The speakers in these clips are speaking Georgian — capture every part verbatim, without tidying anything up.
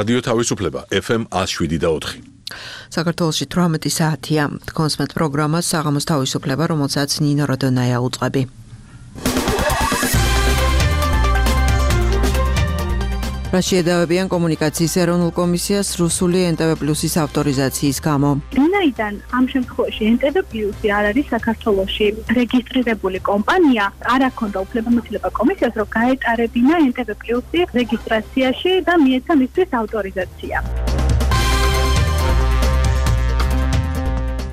რადიო თავისუფლება ეფ ემ ათს შვიდი და ოთხი. საქართველოში თვრამეტი საათია. კონსმეთ პროგრამა საღამოს თავისუფლება, რომელსაც ნინო როდონაია უწყები. რა შეედავებიან კომუნიკაციის ეროვნულ კომისიას რუსული ენ ტე ვე პლუსის ავტორიზაციის გამო. ვინაიდან ამ შემთხვევაში ენ ტე ვე პლუსი არ არის საქართველოში რეგისტრირებული კომპანია, არ აქვს უფლებამოსილება კომისიას, რომ გაეტარებინა ენ ტე ვე პლუსი რეგისტრაციაში და მიეცა მისთვის ავტორიზაცია.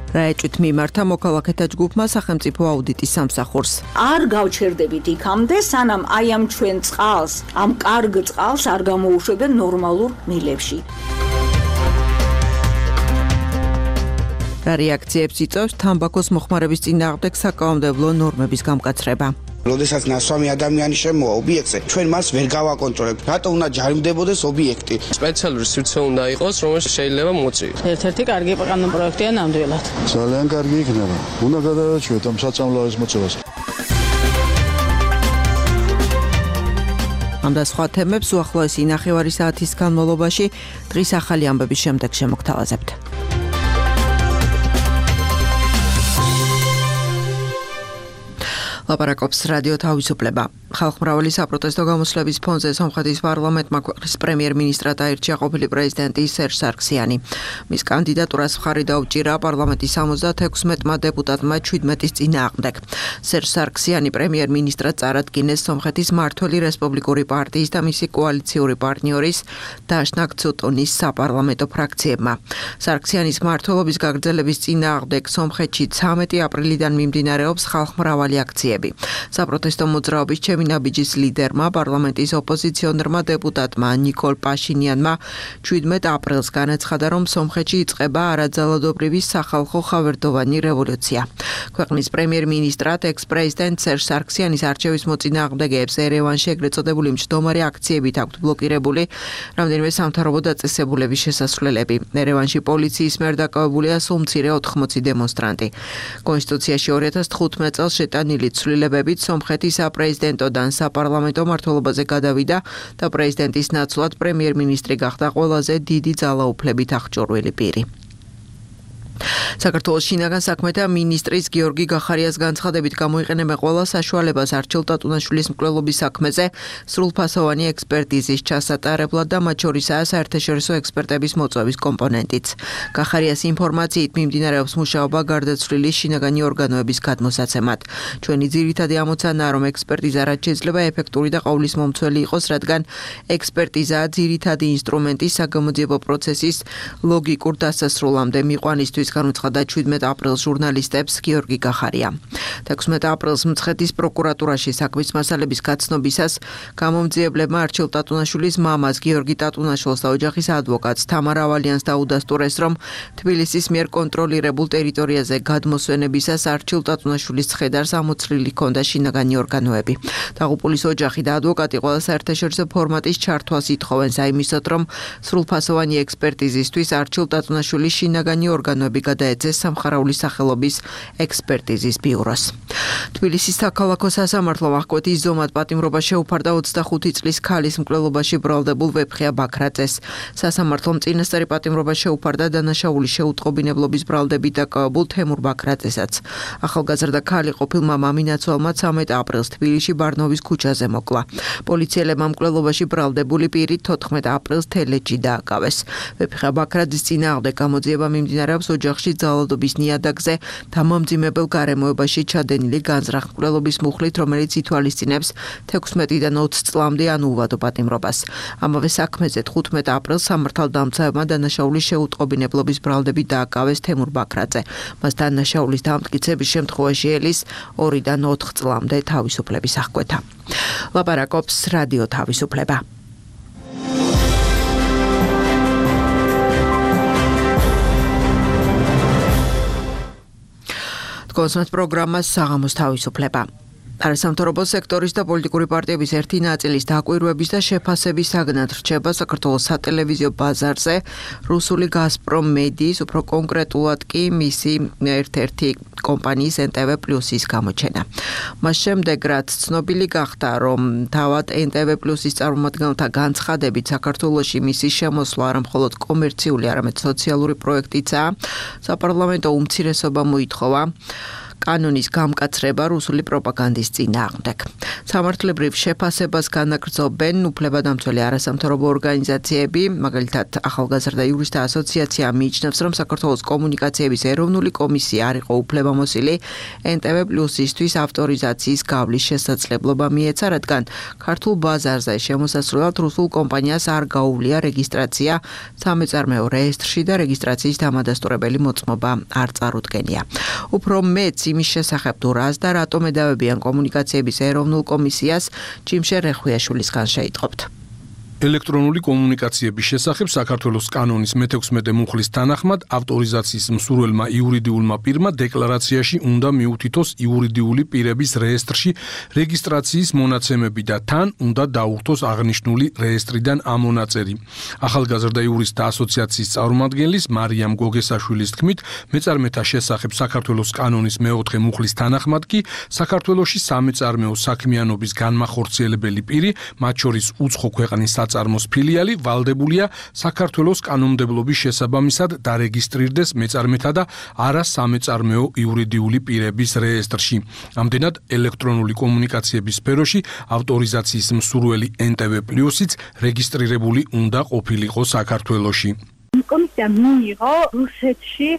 რაეჭვით მიმართა მოქალაქეთა ჯგუფმა სახელმწიფო აუდიტის სამსახურს. არ გავჩერდებით იქამდე, სანამ აი ამ ჩვენ წყალს, ამ კარგ წყალს არ გამოუშვებენ ნორმალურ მილებში. რა რეაქციებს იწვევს თამბაქოს მოხმარების წინააღმდეგ საკანონმდებლო ნორმების გამკაცრება. როდესაც ნასვამი ადამიანი შემოვა ობიექტზე, ჩვენ მას ვერ გავაკონტროლებთ. რატო უნდა ჯარიმდებოდეს ობიექტი? სპეციალური სივრცე უნდა იყოს, რომელიც შეიძლება მოწიოს. ერთ-ერთი კარგი კანონპროექტია ნამდვილად. ძალიან კარგი იქნება. უნდა გადავაჩვევთ ამ საწამლავების მოწევას. ამ და სხვა თემებს უახლოესი ნახევარი საათის განმავლობაში დღის ახალი ამბების შემდეგ შემოგთავაზებთ. ლაპარაკობს რადიო თავისუფლება. ხალხმრავალი საპროტესტო გამოსვლების ფონზე სომხეთის პარლამენტმა ქვეყნის პრემიერ-მინისტრად აირჩია ყოფილი პრეზიდენტი სერჟ სარქსიანი. მის კანდიდატურას მხარი დაუჭირა პარლამენტის ორმოცდაექვსმეტმა დეპუტატმა შვიდმეტის წინააღმდეგ. სერჟ სარქსიანი პრემიერ-მინისტრად წარადგინეს სომხეთის მმართველი რესპუბლიკური პარტიის და მისი კოალიციური პარტნიორის დაშნაკ ცუტუნის საპარლამენტო ფრაქციებმა. სარქსიანის მმართველობის გაგრძელების წინააღმდეგ სომხეთში ცამეტი აპრილიდან მიმდინარეობს ხალხმრავალი აქციები. საპროტესტო მოძრაობის ჩემინაბიჯის ლიდერმა პარლამენტის ოპოზიციონერმა დეპუტატმა ნიკოლ პაშინიანმა შვიდმეტ აპრილს განაცხადა, რომ სომხეთში იწყება არაძალადობრივი სახალხო ხავერდოვანი რევოლუცია. ქვეყნის პრემიერ-მინისტრად ექს-პრეზიდენტ სერჟ სარქსიანის არჩევის მოწინააღმდეგეებს ერევანში ეგრეთ წოდებული მჯდომარე აქციებით აქვთ ბლოკირებული რამდენიმე სამთავრობო დაწესებულების შესასვლელები. ერევანში პოლიციის მიერ დაკავებულია სულ მცირე ოთხმოცი დემონსტრანტი. კონსტიტუციაში ორი ათას თხუთმეტ წელს შეტანილი ცვლილებებით სომხეთის საპრეზიდენტოდან საპარლამენტო მმართველობაზე გადავიდა და პრეზიდენტის ნაცვლად პრემიერ-მინისტრი გახდა ყველაზე დიდი ძალაუფლებით აღჭურვილი პირი. საქართველოს შინაგან საქმეთა მინისტრის გიორგი გახარიას განცხადებით გამოიყენება ყველა საშუალებას არჩილ ტატუნაშვილის მკვლელობის საქმეზე სრულფასოვანი ექსპერტიზის ჩასატარებლად და მათ შორისაა საერთაშორისო ექსპერტების მოწვევის კომპონენტიც. გახარიას ინფორმაციით მიმდინარეობს მუშაობა გარდაცვლილი შინაგანი ორგანოების გადმოსაცემად. ჩვენი ძირითადი ამოცანაა, რომ ექსპერტიზა რაც შეიძლება ეფექტური და ყოვლისმომცველი იყოს, რადგან ექსპერტიზაა ძირითადი ინსტრუმენტი საგამოძიებო პროცესის ლოგიკურ დასასრულამდე მიყვანისთვის, განუცხადა შვიდმეტ აპრილს ჟურნალისტებს გიორგი გახარია. ექვსმეტ აპრილს მცხეთის პროკურატურაში საქმის მასალების გაცნობისას გამომძიებლებმა არჩილ ტატუნაშვილის მამას გიორგი ტატუნაშვილს და ოჯახის ადვოკატს თამარ ავალიანს დაუდასტურეს, რომ თბილისის მიერ კონტროლირებულ ტერიტორიაზე გადმოსვენებისას არჩილ ტატუნაშვილის ცხედარს ამოცლილი ჰქონდა შინაგანი ორგანოები. დაღუპულის ოჯახი და ადვოკატი ყველა საერთაშორისო ფორმატის ჩართვას ითხოვენ საიმისოდ, რომ სრულფასოვანი ექსპერტიზისთვის არჩილ ტატუნაშვილის შინაგანი ორგანოები გადაეცეს სამხარაულის სახელობის ექსპერტიზის ბიუროს. თბილისის საქალაქო სასამართლომ აღკვეთის ზომად პატიმრობა შეუფარდა ოცდახუთი წლის ქალის მკვლელობაში ბრალდებულ ვეფხია ბაქრაძეს. სასამართლომ წინასწარი პატიმრობა შეუფარდა დანაშაულის შეუტყობინებლობის ბრალდებით დაკავებულ თემურ ბაქრაძესაც. ახალგაზრდა ქალი ყოფილმა მამინაცვალმა ცამეტ აპრილს თბილისში ბარნოვის ქუჩაზე მოკლა. პოლიციელებმა მკვლელობაში ბრალდებული პირი თოთხმეტ აპრილს თელეჯი დააკავეს. ვეფხია ბაქრაძის წინააღმდეგ გამოძიება მიმდინარეობს ოჯახში ძალადობის ნიადაგზე და მომძიმებელ გარემოებაში ჩადენილი განზრახ მკვლელობის მუხლით, რომელიც ითვალისწინებს თექვსმეტიდან ოცი წლამდე ანულვადო პატიმრობას. ამავე საქმეზე თხუთმეტ აპრილს სამართალდამცავებმა დანაშაულის შეუტყობინებლობის ბრალდებით დააკავეს თემურ ბაქრაძე. მას დანაშაულის დამტკიცების შემთხვევაში ელის ორიდან ოთხ წლამდე თავისუფლების აღკვეთა. ლაპარაკობს რადიო თავისუფლება. კონსმეთ პროგრამას საღამოს თავისუფლება. არასამთავრობო სექტორის და პოლიტიკური პარტიების ერთი ნაწილის დაკვირვების და შეფასების საგნად რჩება საქართველოს სატელევიზიო ბაზარზე რუსული გაზპრომ მედიის, უფრო კონკრეტულად კი მისი ერთ-ერთი კომპანიის ენ ტე ვე პლუსის გამოჩენა. მას შემდეგ, რაც ცნობილი გახდა, რომ თავად ენ ტე ვე პლუსის წარმომადგენელთა განცხადებით საქართველოში მისი შემოსვლა არა მხოლოდ კომერციული, არამედ სოციალური პროექტიცაა, საპარლამენტო უმცირესობა მოითხოვა კანონის გამკაცრება რუსული პროპაგანდის წინააღმდეგ. სამართლებრივ შეფასებას განაგრძობენ უფლებადამცველი არასამთავრობო ორგანიზაციები, მაგალითად ახალგაზრდა იურისტთა ასოციაცია მიიჩნევს, რომ საქართველოს კომუნიკაციების ეროვნული კომისია არ იყო უფლებამოსილი ენ ტე ვე პლუსისთვის ავტორიზაციის გავლის შესაძლებლობა მიეცა, რადგან ქართულ ბაზარზე შემოსასვლელად რუსულ კომპანიას არ გაუვლია რეგისტრაცია სამეწარმეო რეესტრში და რეგისტრაციის დამადასტურებელი მოწმობა არ წარუდგენია. უფრო მეც იმის შესახებ თუ რას და რატომ ედავებიან კომუნიკაციების ეროვნულ კომისიას ჯიმშე რეხვიაშვილისგან შეიტყობთ. ელექტრონული კომუნიკაციების შესახებ საქართველოს კანონის მეთექვსმეტე მუხლის თანახმად ავტორიზაციის მსურველმა იურიდიულმა პირმა დეკლარაციაში უნდა მიუთითოს იურიდიული პირების რეესტრში რეგისტრაციის მონაცემები და თან უნდა დაუხტოს აღნიშნული რეესტრიდან ამონაწერი. ახალგაზრდა იურისტთა ასოციაციის წარმომადგენლის მარიამ გოგესაშვილის თქმით, მეწარმეთა შესახებ საქართველოს კანონის მეოთხე მუხლის თანახმად კი საქართველოში სამეწარმეო საქმიანობის განმახორციელებელი პირი, მათ შორის უცხო ქვეყნის საწარმოს ფილიალი ვალდებულია საქართველოს კანონმდებლობის შესაბამისად დარეგისტრირდეს მეწარმეთა და არა სამეწარმეო იურიდიული პირების რეესტრში. ამდენად ელექტრონული კომუნიკაციების სფეროში ავტორიზაციის მსურველი ენ ტე ვე პლუსიც რეგისტრირებული უნდა ყოფილიყო საქართველოში. კომისია მიიღო რუსეთში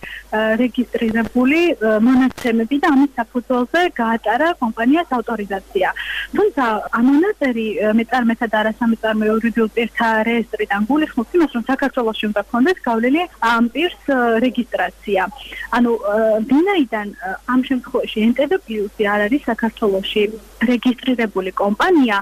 რეგისტრირებული მონაცემები და ამის საფუძველზე გაატარა კომპანიას ავტორიზაცია. თუმცა ამონაწერი მეწარმეთა და არასამეწარმეო იურიდიულ პირთა რეესტრიდან გულისხმობს იმას, რომ საქართველოში უნდა ქონდეს გავლილი ამ პირს რეგისტრაცია. ანუ ვინაიდან ამ შემთხვევაში ენ ტე ვე პლუსი არ არის საქართველოში რეგისტრირებული კომპანია,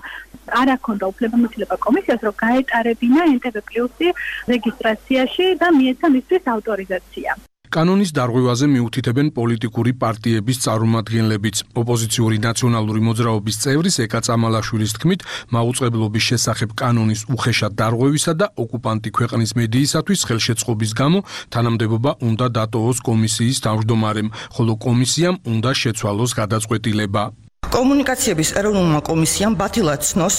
არ აქონდა უფლებამოსილება კომისიას, რომ გაეტარებინა ენ ტე ვე პლუსი რეგისტრაციაში და მიეცა მისთვის ავტორიზაცია. კანონის დარღვევაზე მიუთითებენ პოლიტიკური პარტიების წარმომადგენლებიც. ოპოზიციური ნაციონალური მოძრაობის წევრის ეკა წამალაშვილის თქმით, მაუწყებლობის შესახებ კანონის უხეშად დარღვევისა და ოკუპანტი ქვეყნის მედიისათვის ხელშეწყობის გამო თანამდებობა უნდა დატოვოს კომისიის თავმჯდომარემ, ხოლო კომისიამ უნდა შეცვალოს გადაწყვეტილება. კომუნიკაციების ეროვნულმა კომისიამ ბათილად ცნოს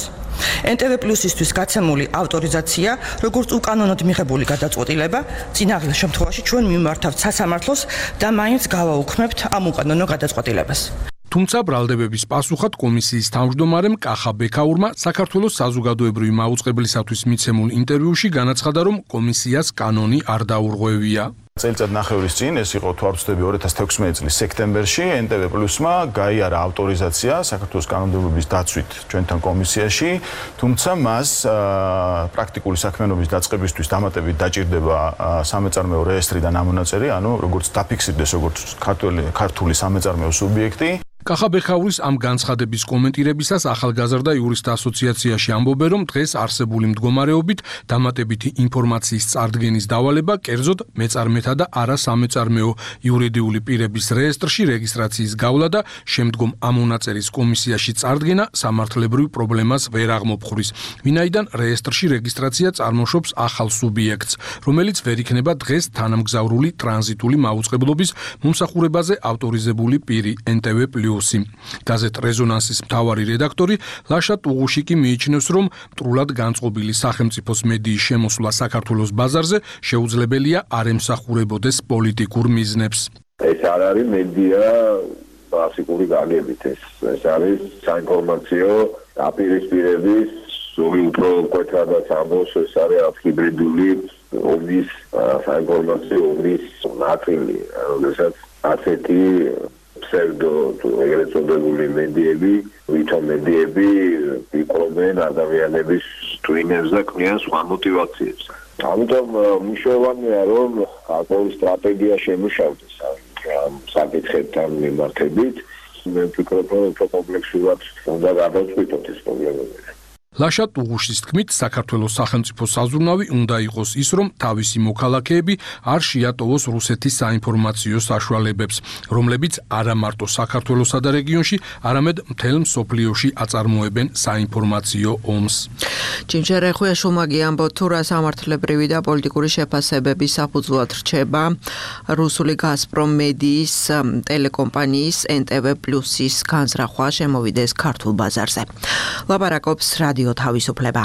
ენ ტე ვე პლუსისთვის გაცემული ავტორიზაცია, როგორც უკანონოდ მიღებული გადაწყვეტილება, წინაღილ შემთხვევაში ჩვენ მიმართავთ სასამართლოს და მაინც გავაუქმებთ ამ უკანონო გადაწყვეტილებას. თუმცა ბრალდებების პასუხად კომისიის თავმჯდომარემ კახა ბექაურმა საქართველოს საზოგადოებრივი მაუწყებლისათვის მიცემულ ინტერვიუში განაცხადა, რომ კომისიას კანონი არ დაურღვევია. წელიწად ნახევრის წინ ეს იყო თვალწოდები ორი ათას თექვსმეტი წლის სექტემბერში ენ ტე ვე პლუსმა გაიარა ავტორიზაცია საქართველოს კანონმდებლობის დაცვით ჩვენთან კომისიაში, თუმცა მას პრაქტიკული საქმიანობის დაწყებისთვის დამატებით დაჭირდება სამეწარმეო რეესტრიდან ამონაწერი, ანუ როგორც დაფიქსირდეს როგორც ქართული სამეწარმეო სუბიექტი. კახა ბექაურის ამ განცხადების კომენტირებისას ახალგაზრდა იურისტთა ასოციაციაში ამბობენ, რომ დღეს არსებული მდგომარეობით დამატებითი ინფორმაციის წარდგენის დავალება კერძოდ მეწარმეთა და არა სამეწარმეო იურიდიული პირების რეესტრში რეგისტრაციის გავლა და შემდგომ ამონაწერის კომისიაში წარდგენა სამართლებრივ პრობლემას ვერ აღმოფხვრის, ვინაიდან რეესტრში რეგისტრაცია წარმოშობს ახალ სუბიექტს, რომელიც ვერ იქნება დღეს თანამგზავრული ტრანზიტული მაუწყებლობის მომსახურებაზე ავტორიზებული პირი ენ ტე ვე პლუს. გაზეთ რეზონანსის მთავარი რედაქტორი ლაშა ტუღუშიკი მიიჩნევს, რომ მტრულად განწყობილი სახელმწიფოს მედიის შემოსვლა საქართველოს ბაზარზე შეუძლებელია არ ემსახურებოდეს პოლიტიკურ მიზნებს. ეს არ არის მედია კლასიკური გაგებით, ეს ეს არის საინფორმაციო დაპირისპირების ზოგი უფრო მკვეთრადაც ამბობს, ეს არის ჰიბრიდული ომის საინფორმაციო ომის ნაწილი, როდესაც ასეთი pseudo თუ ეგრეთ წოდებული მედიები, ვითომ მედიები იყვნენ ადამიანების ტვინებს და ქმნიან სხვა მოტივაციებს. ამიტომ მნიშვნელოვანია, რომ ახალი სტრატეგია შემუშავდეს ამ საკითხებთან მიმართებით. მე ვფიქრობ, რომ უფრო კომპლექსურად უნდა გადავწყვიტოთ ეს პრობლემები. ლაშა ტუღუშის თქმით, საქართველოს სახელმწიფო საზრუნავი უნდა იყოს ის, რომ თავისი მოქალაქეები არ შეატოვოს რუსეთის საინფორმაციო საშუალებებს, რომლებიც არა მარტო საქართველოსა და რეგიონში, არამედ მთელ მსოფლიოში აწარმოებენ საინფორმაციო ომს. Ჭინჭერე ხუეშუმაგი ამბობ თუ რა სამართლებრივი და პოლიტიკური შეფასებების საფუძვლად რჩება რუსული გაზპრომ მედიის ტელეკომპანიის ენ ტე ვე პლუსის განზრახვა შემოვიდეს ქართულ ბაზარზე. ლაპარაკობს რადიო თავისუფლება.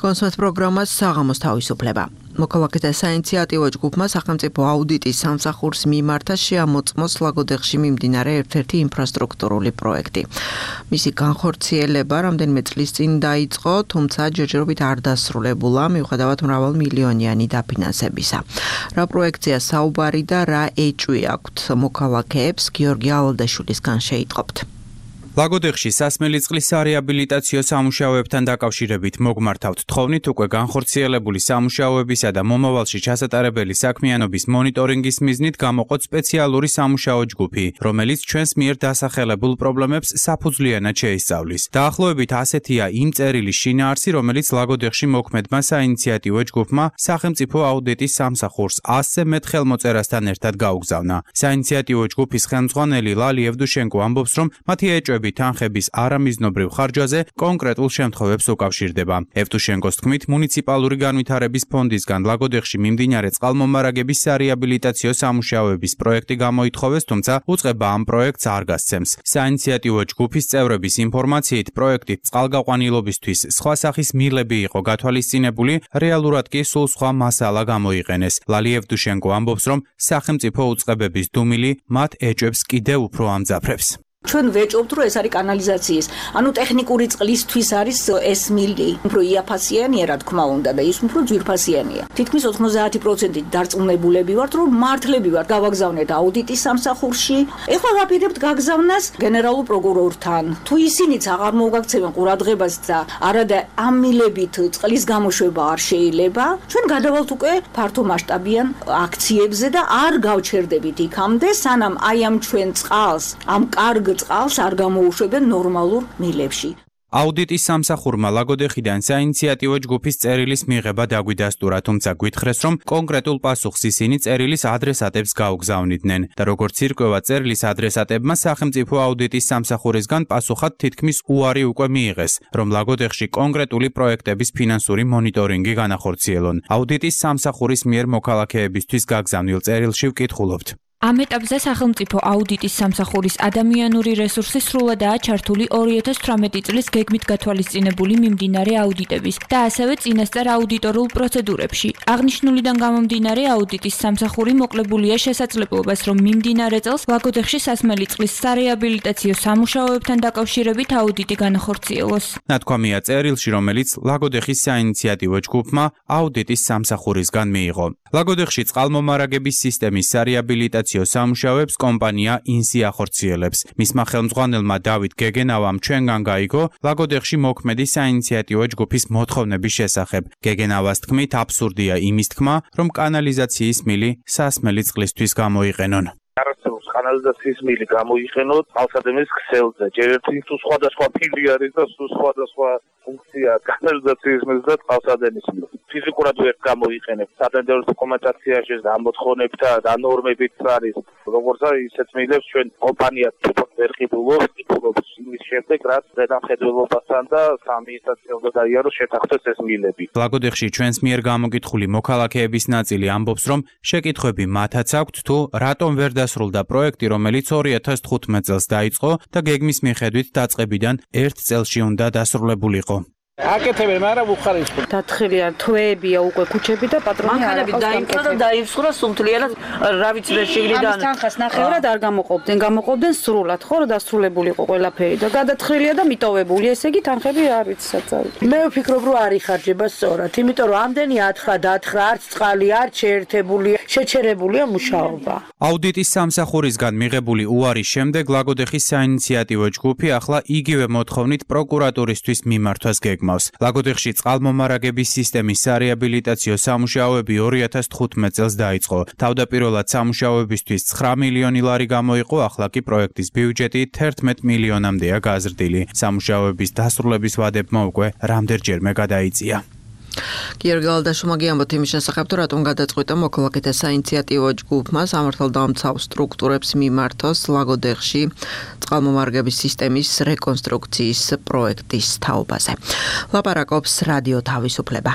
კონსერტ პროგრამას საღამოს თავისუფლება. მოქალაქეთა საინიციატივო ჯგუფმა სახელმწიფო აუდიტის სამსახურს მიმართა შეამოწმოს ლაგოდეხში მიმდინარე ერთ-ერთი ინფრასტრუქტურული პროექტი. მისი განხორციელება რამდენიმე წლის წინ დაიწყო, თუმცა ჯერჯერობით არ დასრულებულა, მიუხედავად მრავალმილიონიანი დაფინანსებისა. რა პროექტია საუბარი და რა ეჭვი აქვთ მოქალაქეებს, გიორგი ალადაშვილისგან შეიტყობთ. ლაგოდეხში სასმელი წყლის სარეაბილიტაციო სამუშაოებთან დაკავშირებით მოგმართავთ თხოვნით უკვე განხორციელებული სამუშაოებისა და მომავალში ჩასატარებელი საქმიანობის მონიტორინგის მიზნით გამოყოთ სპეციალური სამუშაო ჯგუფი, რომელიც ჩვენს მიერ დასახელებულ პრობლემებს საფუძვლიანად შეისწავლის. დაახლოებით ასეთია იმ წერილის შინაარსი, რომელიც ლაგოდეხში მოქმედმა საინიციატივო ჯგუფმა სახელმწიფო აუდიტის სამსახურს ასზე მეტ ხელმოწერასთან ერთად გაუგზავნა. საინიციატივო ჯგუფის ხელმძღვანელი ლალი ევდუშენკო ამბობს, რომ მათი ეჭვები თანხების არამიზნობრივ ხარჯვაზე კონკრეტულ შემთხვევებს უკავშირდება. ევტუშენკოს თქმით, მუნიციპალური განვითარების ფონდისგან ლაგოდეხში მიმდინარე წყალმომარაგების სარეაბილიტაციო სამუშაოების პროექტი გამოითხოვეს, თუმცა უწყება ამ პროექტს არ გასცემს. საინიციატივო ჯგუფის წევრების ინფორმაციით, პროექტით წყალგაყვანილობისთვის სხვა სახის მილები იყო გათვალისწინებული, რეალურად კი სულ სხვა მასალა გამოიყენეს. ლალი ევტუშენკო ამბობს, რომ სახელმწიფო უწყებების დუმილი მათ ეჭვებს კიდევ უფრო ამძაფრებს. ჩვენ ვეჭობთ, რომ ეს არის კანალიზაციის, ანუ ტექნიკური წყლისთვის არის ეს მილი, უფრო იაფასიანია, რა თქმა უნდა, და ის უფრო ძვირფასიანია. თითქმის ოცდაათი პროცენტი დარწმუნებულები ვართ, რომ მართლები ვართ გავაგზავნეთ აუდიტის სამსახურში. ეხლა ვაპირებთ გაგზავნას გენერალურ პროკურორთან. თუ ისინიც აღარ მოგაქცევენ ყურადღებას და არადა ამ მილებით წყლის გამოშვება არ შეიძლება, ჩვენ გადავალთ უკვე ფართო მასშტაბიან აქციებზე და არ გავჩერდებით იქამდე, სანამ აი ამ ჩვენ წყალს, ამ კარგ წყალს არ გამოუშვებენ ნორმალურ მილებში. აუდიტის სამსახურმა ლაგოდეხიდან საინიციატივო ჯგუფის წერილის მიღება დაგვიდასტურა, თუმცა გვითხრეს, რომ კონკრეტულ პასუხს ისინი წერილის ადრესატებს გაუგზავნიდნენ და როგორც ირკვევა წერილის ადრესატებმა სახელმწიფო აუდიტის სამსახურისგან პასუხად თითქმის უარი უკვე მიიღეს, რომ ლაგოდეხში კონკრეტული პროექტების ფინანსური მონიტორინგი განახორციელონ. აუდიტის სამსახურის მიერ მოქალაქეებისთვის გაგზავნილ წერილში ვკითხულობთ. ამ ეტაპზე სახელმწიფო აუდიტის სამსახურის ადამიანური რესურსი სრულადაა ჩართული ორი ათას თვრამეტი წლის გეგმით გათვალისწინებული მიმდინარე აუდიტების და ასევე წინასწარ აუდიტორულ პროცედურებში. აღნიშნულიდან გამომდინარე აუდიტის სამსახური მოკლებულია შესაძლებლობას, რომ მიმდინარე წელს ლაგოდეხში სასმელი წყლის სარეაბილიტაციო სამუშაოებთან დაკავშირებით აუდიტი განახორციელოს. ნათქვამია წერილში, რომელიც ლაგოდეხის საინიციატივო ჯგუფმა აუდიტის სამსახურისგან მიიღო. ლაგოდეხში წყალმომარაგების სისტემის სარეაბილიტაციო სამუშაოებს კომპანია ინსი ახორციელებს. მისმა ხელმძღვანელმა დავით გეგენავამ ჩვენგან გაიგო ლაგოდეხში მოქმედი საინიციატივო ჯგუფის მოთხოვნების შესახებ. გეგენავას თქმით, აბსურდია იმის თქმა, რომ კანალიზაციის მილი სასმელი წყლისთვის გამოიყენონ. არასდროს კანალიზაციის მილი გამოიყენოთ ალსადემის ქსელზე. ჯერ ერთი თუ სხვადასხვა ფილი არის და თუ სხვადასხვა ფუნქცია კანალიზაციის მილს და წყალსადენის მილს. ფიზიკურად ვერ გამოიყენებ. სატენდერო დოკუმენტაციაში და მოთხოვნებით და ნორმებით არის. როგორც არის ისეთ მილებს ჩვენ კომპანია თვითონ ვერ ყიდულობს, ყიდულობს იმის შემდეგ, რაც ზედამხედველობასთან და საადმინისტრაციო უნდა დაიაროს შეთანხმდეს ეს მილები. ლაგოდეხში ჩვენს მიერ გამოგითხული მოქალაქეების ნაწილი ამბობს, რომ შეკითხვები მათაც აქვთ თუ რატომ ვერ დასრულდა პროექტი, რომელიც ორი ათას თხუთმეტ წელს დაიწყო და გეგმის მიხედვით დაწყებიდან ერთ წელში უნდა დასრულებულიყო. აკეთებენ, მაგრამ უხარისხო. დათხილია თვეებია უკვე ქუჩები და პატრონი არ აქვს. დაიმსხვრა და დაიმსხვრა სულთლიანად, რა ვიცი ვერ შეგვიდან. ამის თანხას ნახევრად არ გამოყოფდნენ, გამოყოფდნენ სრულად, ხო, რომ დასრულებულიყო ყველაფერი და გადათხილია და მიტოვებული. ესე იგი თანხები არ ვიცი საწავი. მე ვფიქრობ, რომ არ იხარჯება სწორად, იმიტომ რომ ამდენი ათხრა დაათხრა, არც წყალი, არც შეერთებული, შეჩერებულია მუშაობა. აუდიტის სამსახურისგან მიღებული უარის შემდეგ ლაგოდეხის საინიციატივო ჯგუფი ახლა იგივე მოთხოვნით პროკურატურისთვის მიმართვას გეგმავს. იგმავს. ლაგოდეხში წყალმომარაგების სისტემის სარეაბილიტაციო სამუშაოები ორი ათას თხუთმეტ წელს დაიწყო. თავდაპირველად სამუშაოებისთვის ცხრა მილიონი ლარი გამოიყო, ახლა კი პროექტის ბიუჯეტი თერთმეტ მილიონამდეა გაზრდილი. სამუშაოების დასრულების ვადებმა უკვე რამდენჯერმე გადაიწია. გიორგი გალადაშვილმა გიამბოთ იმის შესახებ, თუ რატომ გადაწყვიტა მოქალაქეთა საინიციატივო ჯგუფმა სამართალდამცავ სტრუქტურებს მიმართოს ლაგოდეხში წყალმომარაგების სისტემის რეკონსტრუქციის პროექტის თაობაზე. ლაპარაკობს რადიო თავისუფლება.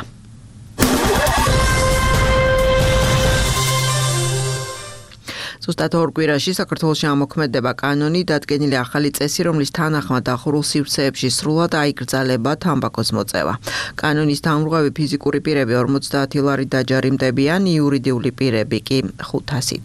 ზუსტად ორ კვირაში საქართველოში ამოქმედება კანონი, დადგენილი ახალი წესი, რომლის თანახმად დახურულ სივრცეებში სრულად აიკრძალება თამბაქოს მოწევა. კანონის დამრღვევი ფიზიკური პირები ორმოცდაათი ლარი დაჯარიმდებიან, იურიდიული პირები კი ხუთასით.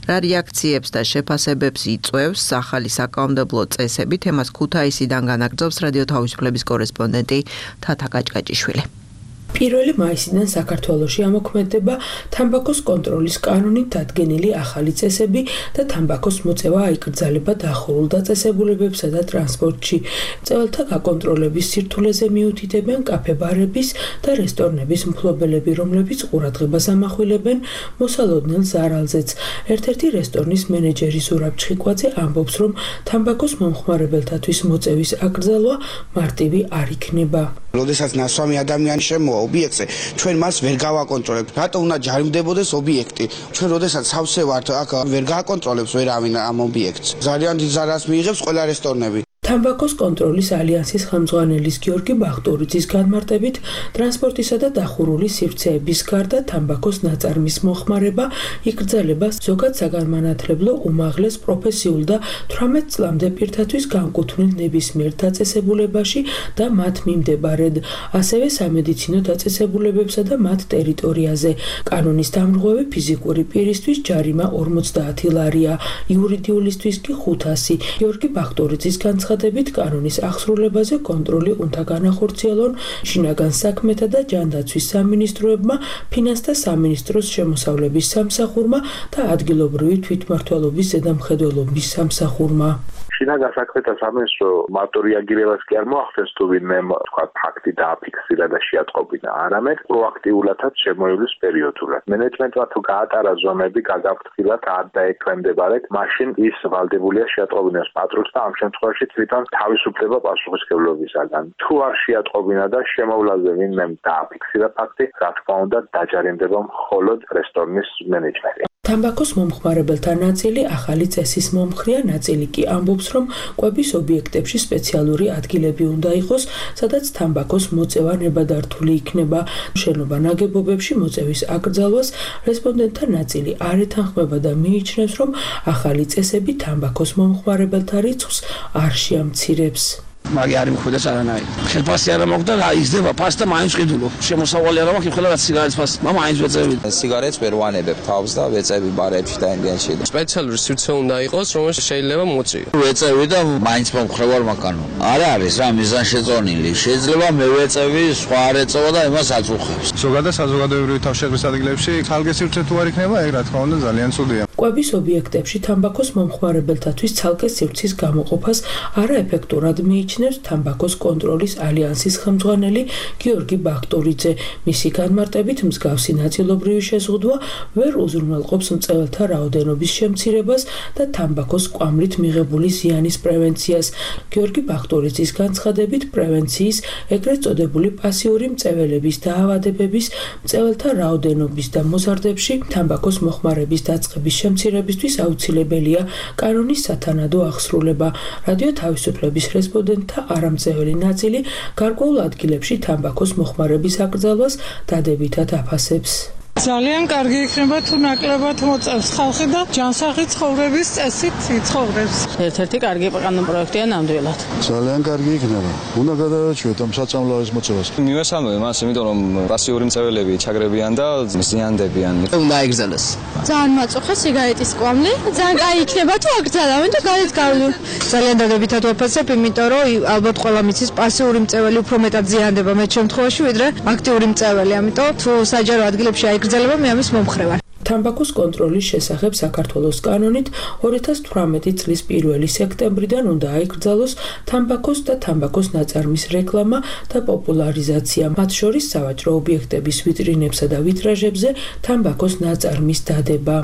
რა რეაქციებს და შეფასებებს იწვევს ახალი საკანონმდებლო წესები, თემას ქუთაისიდან განაგრძობს რადიო თავისუფლების კორესპონდენტი თათა გაჭგაჭიშვილი. პირველი მაისიდან საქართველოში ამოქმედება თამბაქოს კონტროლის კანონით დადგენილი ახალი წესები და თამბაქოს მოწევა აიკრძალება დახურულ დაწესებულებებსა და ტრანსპორტში. მწვავეთა გაკონტროლების სირთულეზე მიუთითებენ კაფე-ბარების და რესტორნების მფლობელები, რომლებიც ყურადღებას ამახვილებენ მოსალოდნელ ზარალზეც. ერთ-ერთი რესტორნის მენეჯერი ზურაბ ჩხიკვაძე ამბობს, რომ თამბაქოს მომხმარებელთათვის მოწევის აკრძალვა მარტივი არ იქნება. როდესაც ნასვამი ადამიანი შემოვა ობიექტზე, ჩვენ მას ვერ გავაკონტროლებთ. რატო უნდა ჯარიმდებოდეს ობიექტი? ჩვენ როდესაც სავსე ვართ, აქ ვერ გააკონტროლებს ვერავინ ამ ობიექტს. ძალიან დიდ ზარალს მიიღებს ყველა რესტორნები. თამბაქოს კონტროლის ალიანსის ხელმძღვანელის გიორგი ბახტურიძის განმარტებით, ტრანსპორტისა და დახურული სივრცეების გარდა თამბაქოს ნაწარმის მოხმარება იკრძალება ზოგად საგანმანათლებლო, უმაღლეს, პროფესიულ და თვრამეტ წლამდე პირთათვის განკუთვნილ ნებისმიერ დაწესებულებაში და მათ მიმდებარედ, ასევე სამედიცინო დაწესებულებებსა და მათ ტერიტორიაზე. კანონის დამრღვევი ფიზიკური პირისთვის ჯარიმა ორმოცდაათი ლარია, იურიდიულისთვის კი ხუთასი. გიორგი ბახტურიძის განცხადებით, კანონის აღსრულებაზე კონტროლი უნდა განახორციელონ შინაგან საქმეთა და ჯანდაცვის სამინისტროებმა, ფინანსთა სამინისტროს შემოსავლების სამსახურმა და ადგილობრივი თვითმმართველობის ზედამხედველობის სამსახურმა. შინაგან საქმეთა სამინისტრო მარტო რეაგირებას კი არ მოახდენს, თუ ვინმე თქვა ფაქტი დააფიქსირა და შეატყობინა, არამედ პროაქტიულადაც შემოივლის პერიოდულად. მენეჯმენტმა თუ გაატარა ზომები გადაფრთხილად არ დაექვემდებარეთ, მაშინ ის ვალდებულია შეატყობინოს პატრულს და ამ შემთხვევაში თვითონ თავისუფლება პასუხისმგებლობისაგან. თუ არ შეატყობინა და შემოვლაზე ვინმე დააფიქსირა ფაქტი, რა თქმა უნდა დაჯარიმდება მხოლოდ რესტორნის მენეჯმენტი. თამბაქოს მომხმარებელთა ნაწილი ახალი წესის მომხრია, ნაწილი კი ამბობს, რომ კვების ობიექტებში სპეციალური ადგილები უნდა იყოს, სადაც თამბაქოს მოწევა ნებადართული იქნება. შენობა ნაგებობებში მოწევის აკრძალვას რესპონდენტთა ნაწილი არ ეთანხმება და მიიჩნევს, რომ ახალი წესები თამბაქოს მომხმარებელთა რიცხვს არ შეამცირებს. მაგი არ იმხვდეს არანაირი. ხელფასი არ მოგდა და იზრდება ფასი და მაინც ყიდულობ. შემოსავალი არ მაქვს, ეხლა რაც სიგარეტის ფასი. მამა მაინც ვეწევი. სიგარეტს ვერ ვანებებ თავს და ვეწევი ბარებში და ინგენში. სპეციალური სივრცე უნდა იყოს, რომელშიც შეიძლება მოწიო. ვეწევი და მაინც მომხრევარ მაკანონ. არ არის რა მიზანშეწონილი. შეიძლება მე ვეწევი, სხვა არ ეწევა და იმას აწუხებს. ზოგადად საზოგადოებრივი თავშეყრის ადგილებში ცალკე სივრცე თუ არ იქნება, ეგ რა თქმა უნდა ძალიან ცუდია. კვების ობიექტებში თამბაქოს მომხმარებელთათვის ცალკე სივრცის გამოყოფას არაეფექტურად მიიჩნევს თამბაქოს კონტროლის ალიანსის ხელმძღვანელი გიორგი ბახტურიძე. მისი განმარტებით, მსგავსი ნაწილობრივი შეზღუდვა ვერ უზრუნველყოფს მწვავეთა რაოდენობის შემცირებას და თამბაქოს კვამლით მიღებული ზიანის პრევენციას. გიორგი ბახტურიძის განცხადებით, პრევენციის, ეგრეთ წოდებული პასიური მწვავეების დაავადებების, მწვავეთა რაოდენობის და მოზარდებში თამბაქოს მოხმარების დაწყების შემცირებისთვის აუცილებელია კანონის სათანადო აღსრულება. რადიო თავისუფლების რესპონდენტთა არამწეველი ნაწილი გარკვეულ ადგილებში თამბაქოს მოხმარების აკრძალვას დადებითად აფასებს. ძალიან კარგი იქნება თუ ნაკლებად მოწევს ხალხი და ჯანსაღი ცხოვრების წესით იცხოვრებს. ერთ-ერთი კარგი კანონპროექტია ნამდვილად. ძალიან კარგი იქნება. უნდა გადააჩვიოთ ამ საწამლავის მოწევას. მივესალმები მას, იმიტომ რომ პასიური მწვავეები ჩაგრებიან და ზიანდებიან. უნდა აიგრძელოს. ძალიან მაწუხა სიგარეტის კვამლი. ძალიან კაი იქნება თუ აკრძალავენ და გარეთ გავლენ. ძალიან დადებითად ვაფასებ, იმიტომ რომ ალბათ ყველა მიცის პასიური მწვავე უფრო მეტად ზიანდება მე შემთხვევაში, ვიდრე აქტიური მწვავე. ამიტომ თუ საჯარო ადგილებში აიგრძელება, მე ამის მომხრევარ. თამბაქოს კონტროლის შესახებ საქართველოს კანონით ორი ათას თვრამეტი წლის პირველი სექტემბრიდან უნდა აიკრძალოს თამბაქოს და თამბაქოს ნაწარმის რეკლამა და პოპულარიზაცია, მათ შორის სავაჭრო ობიექტების ვიტრინებსა და ვიტრაჟებზე თამბაქოს ნაწარმის დადება.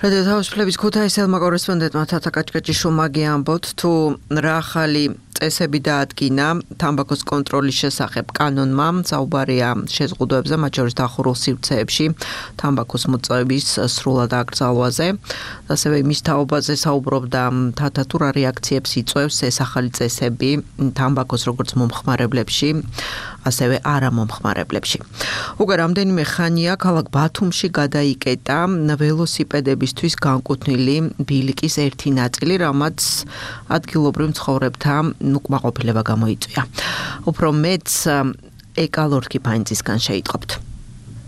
რადიო თავისუფლების ქუთაისელმა კორესპონდენტმა თათა კაჭკაჭიშვილმა გიამბოთ, თუ რა ახალი წესები დაადგინა თამბაქოს კონტროლის შესახებ კანონმა, საუბარია შეზღუდვებზე, მათ შორის დახურულ სივრცეებში თამბაქოს მოწვევის სრულად აკრძალვაზე. ასევე იმის თაობაზე საუბრობდა თათა, თუ რა რეაქციებს იწვევს ეს ახალი წესები თამბაქოს როგორც მომხმარებლებში, ასევე არა მომხმარებლებში. უკვე რამდენიმე ხანია ქალაქ ბათუმში გადაიკეტა ველოსიპედებისთვის განკუთვნილი ბილიკის ერთი ნაწილი, რამაც ადგილობრივ მცხოვრებთა უკმაყოფილება გამოიწვია. უფრო მეც ეკალორ კიფაინცისგან შეიტყობთ.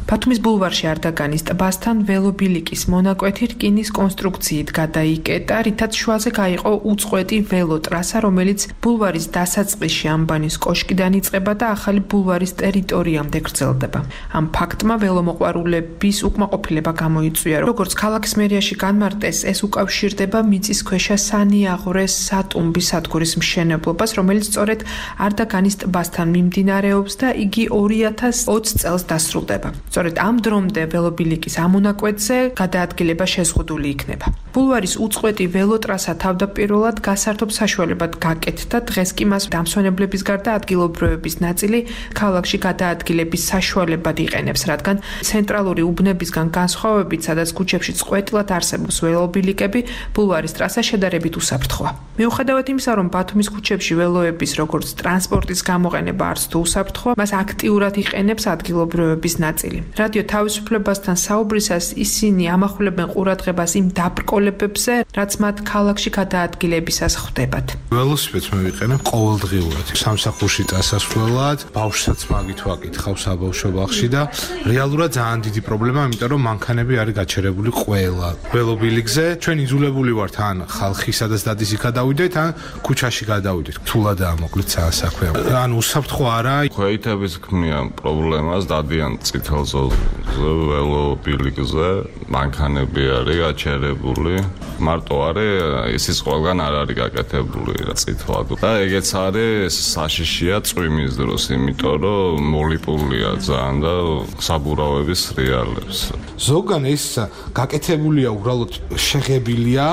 ბათუმის ბულვარში არდაგანის ტბასთან ველობილიკის მონაკვეთი რკინის კონსტრუქციით გადაიკეტა, რითაც შუაზე გაიყო უწყვეტი ველოტრასა, რომელიც ბულვარის დასაწყისში ამბანის კოშკიდან იწყება და ახალი ბულვარის ტერიტორიამდე გრძელდება. ამ ფაქტმა ველომოყვარულების უკმაყოფილება გამოიწვია. როგორც ქალაქის მერიაში განმარტეს, ეს უკავშირდება მიწისქვეშა სანიაღვრეს სატუმბის სადგურის მშენებლობას, რომელიც სწორედ არდაგანის ტბასთან მიმდინარეობს და იგი ორი ათას ოცი წელს დასრულდება. სწორედ ამ დრომდე ველობილიკის ამონაკვეთზე გადაადგილება შეზღუდული იქნება. ბულვარის უწყვეტი ველოტრასა თავდაპირველად გასართობ საშუალებად გაკეთდა, დღეს კი მას დამსვენებლების გარდა ადგილობრივების ნაწილი ქალაქში გადაადგილების საშუალებად იყენებს, რადგან ცენტრალური უბნებისგან განსხვავებით, სადაც ქუჩებში წყვეტილად არსებობს ველობილიკები, ბულვარის ტრასა შედარებით უსაფრთხოა. მიუხედავად იმისა, რომ ბათუმის ქუჩებში ველოების როგორც ტრანსპორტის გამოყენება არც თუ უსაფრთხოა, მას აქტიურად იყენებს ადგილობრივების ნაწილი. რადიო თავისუფლებასთან საუბრისას ისინი ამახვილებენ ყურადღებას იმ დაბრკოლებებზე, რაც მათ ქალაქში გადაადგილებისას ხვდებათ. ველოსიპედს მე ვიყენებ ყოველდღიურად. სამსახურში წასასვლელად, ბავშვსაც მაგით ვაკითხავ საბავშვო ბაღში და რეალურად ძალიან დიდი პრობლემაა, იმიტომ რომ მანქანები არის გაჩერებული ყველა ველობილიკზე. ჩვენ იძულებული ვართ ან ხალხი სადაც დადის იქ გადავიდეთ, ან ქუჩაში გადავიდეთ. რთულადაა მოკლედ საასაქვე. ან უსაფრთხო არა. ქვეითების ქმნიან პრობლემას, დადიან წითელს ველობილიკზე, მანქანები არის გაჩერებული. მარტო არის ისიც ყველგან არ არის გაკეთებული რა წითლად. და ეგეც არის საშიშია წვიმის დროს, იმიტომ რომ მოლიპულია ძალიან და საბურავების რეალებს. ზოგან ეს გაკეთებულია უბრალოდ შეღებილია,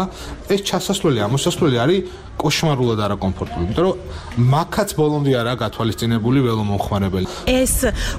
ეს ჩასასვლელი, ამოსასვლელი არის კოშმარულად არაკომფორტული, იმიტომ რომ მაქაც ბოლომდე არა გათვალისწინებული ველომომხმარებელი. ეს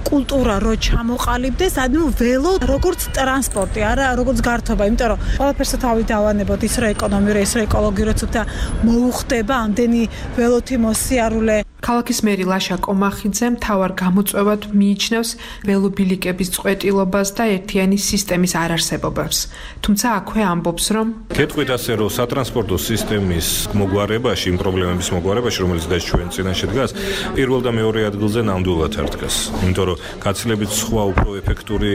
კულტურა რო ჩამოყალიბდეს, ანუ ველო როგორც ტრანსპორტი, არა როგორც გართობა, იმიტომ რომ ყველაფერს თავი დავანებოთ, ის რა ეკონომიური, ის რა ეკოლოგიურად და მოუხდება ამდენი ველოთი მოსიარულე. ქალაქის მერი ლაშა კომახიძე მთავარ გამოწვევად მიიჩნევს ველობილიკების წყვეტილობას და ერთიანი სისტემის არარსებობებს. თუმცა აქვე ამბობს, რომ გეტყვით ასე, რომ სატრანსპორტო სისტემის მოგვარებაში, იმ პრობლემების მოგვარებაში, რომელიც დღეს ჩვენ წინაშე დგას, პირველ და მეორე ადგილზე ნამდვილად არ დგას. იმიტომ რომ გაცილებით სხვა უფრო ეფექტური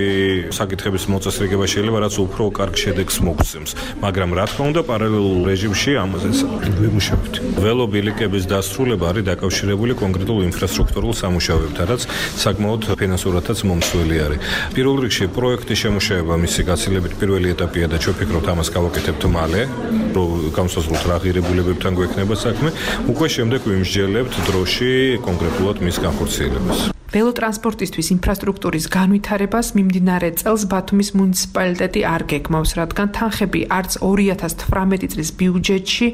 საკითხების მოწესრიგება შეიძლება, რაც უფრო კარგ შედეგს მოგცემს. მაგრამ რა თქმა უნდა, პარალელურ რეჟიმში ამაზე ვიმუშავებთ. ველობილიკების დასრულება არის დაკავშირებული კონკრეტულ ინფრასტრუქტურულ სამუშაოებთან, რაც საკმაოდ ფინანსურადაც მომსვლელი არის. პირველ რიგში პროექტის შემუშავება მისი გაცილებით პირველი ეტაპია და ჩვენ ვფიქრობთ ამას გავაკეთებთ მალე, რომ გამოსაზღვროთ რა ღირებულებებთან გვექნება საქმე, უკვე შემდეგ ვიმსჯელებთ დროში კონკრეტულად მის განხორციელებას. ველოტრანსპორტისთვის ინფრასტრუქტურის განვითარებას მიმდინარე წელს ბათუმის მუნიციპალიტეტი არ გეგმავს, რადგან თანხები არც ორი ათას თვრამეტი წლის ბიუჯეტში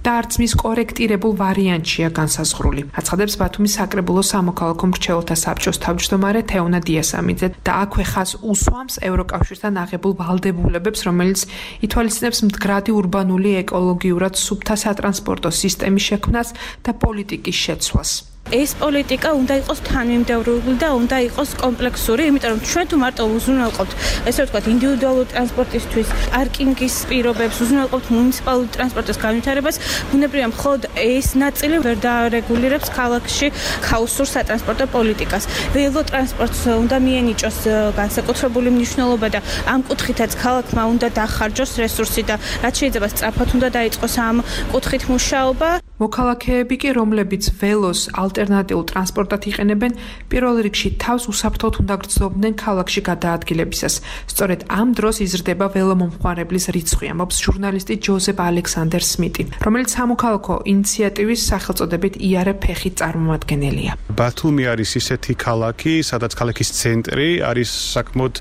და არც მის კორექტირებულ ვარიანტშია განსაზღვრული. აცხადებს ბათუმის საკრებულო სამოქალაქო მრჩეველთა საბჭოს თავმჯდომარე თეონა დიასამიძე და აქვე ხაზს უსვამს ევროკავშირთან აღებულ ვალდებულებებს, რომელიც ითვალისწინებს მდგრადი ურბანული ეკოლოგიურად სუფთა სატრანსპორტო სისტემის შექმნას და პოლიტიკის შეცვლას. ეს პოლიტიკა უნდა იყოს თანმიმდევრული და უნდა იყოს კომპლექსური, იმიტომ რომ ჩვენ თუ მარტო უზრუნველყოფთ, ესე ვთქვათ, ინდივიდუალური ტრანსპორტისთვის პარკინგის პირობებს, უზრუნველყოფთ მუნიციპალური ტრანსპორტის განვითარებას, ბუნებრივია მხოლოდ ეს ნაწილი ვერ დაარეგულირებს ქალაქში ქაოსურ სატრანსპორტო პოლიტიკას. ველოტრანსპორტს უნდა მიენიჭოს განსაკუთრებული მნიშვნელობა და ამ კუთხითაც ქალაქმა უნდა დახარჯოს რესურსი და რაც შეიძლება სწრაფად უნდა დაიწყოს ამ კუთხით მუშაობა. მოქალაქეები კი, რომლებიც ველოს ალტერნატიულ ტრანსპორტად იყენებენ, პირველ რიგში თავს უსაფრთხოდ უნდა გრძნობდნენ ქალაქში გადაადგილებისას. სწორედ ამ დროს იზრდება ველომომხმარებლის რიცხვი, ამბობს ჟურნალისტი ჯოზეფ ალექსანდერ სმიტი, რომელიც სამოქალაქო ინიციატივის სახელწოდებით იარე ფეხით წარმომადგენელია. ბათუმი არის ისეთი ქალაქი, სადაც ქალაქის ცენტრი არის საკმაოდ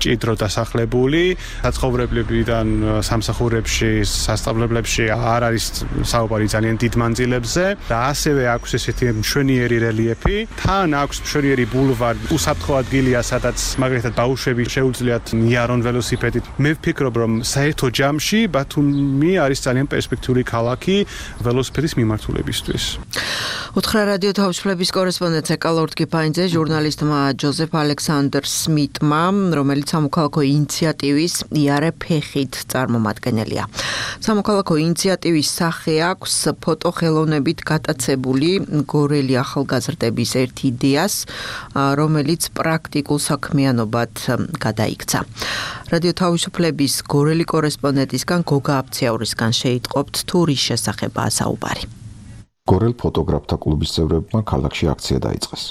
ჭიდრო დასახლებული, საცხოვრებლებიდან სამსახურებში, სასწავლებლებში არ არის საუბარი ძალიან დიდ მანძილებზე და ასევე აქვს ესეთი მშვენიერი რელიეფი, თან აქვს მშვენიერი ბულვარი, უსაფრთხო ადგილია, სადაც მაგალითად ბავშვები შეუძლიათ მიარონ ველოსიპედით. მე ვფიქრობ, რომ საერთო ჯამში ბათუმი არის ძალიან პერსპექტიული ქალაქი ველოსიპედის მიმართულებისთვის. უთხრა რადიო თავისუფლების კორესპონდენტ ეკალორდ კიფაინძე ჟურნალისტმა ჯოზეფ ალექსანდერ სმიტმა, რომელიც სამოქალაქო ინიციატივის იარე ფეხით წარმომადგენელია. სამოქალაქო ინიციატივის სახე აქვს ფოტოხელოვნებით გატაცებული გორელი ახალგაზრდების ერთ იდეას, რომელიც პრაქტიკულ საქმიანობად გადაიქცა. რადიო თავისუფლების გორელი კორესპონდენტისგან გოგა აფციაურისგან შეიტყობთ თუ რის შესახებაა საუბარი. გორელ ფოტოგრაფთა კლუბის წევრებმა ქალაქში აქცია დაიწყეს.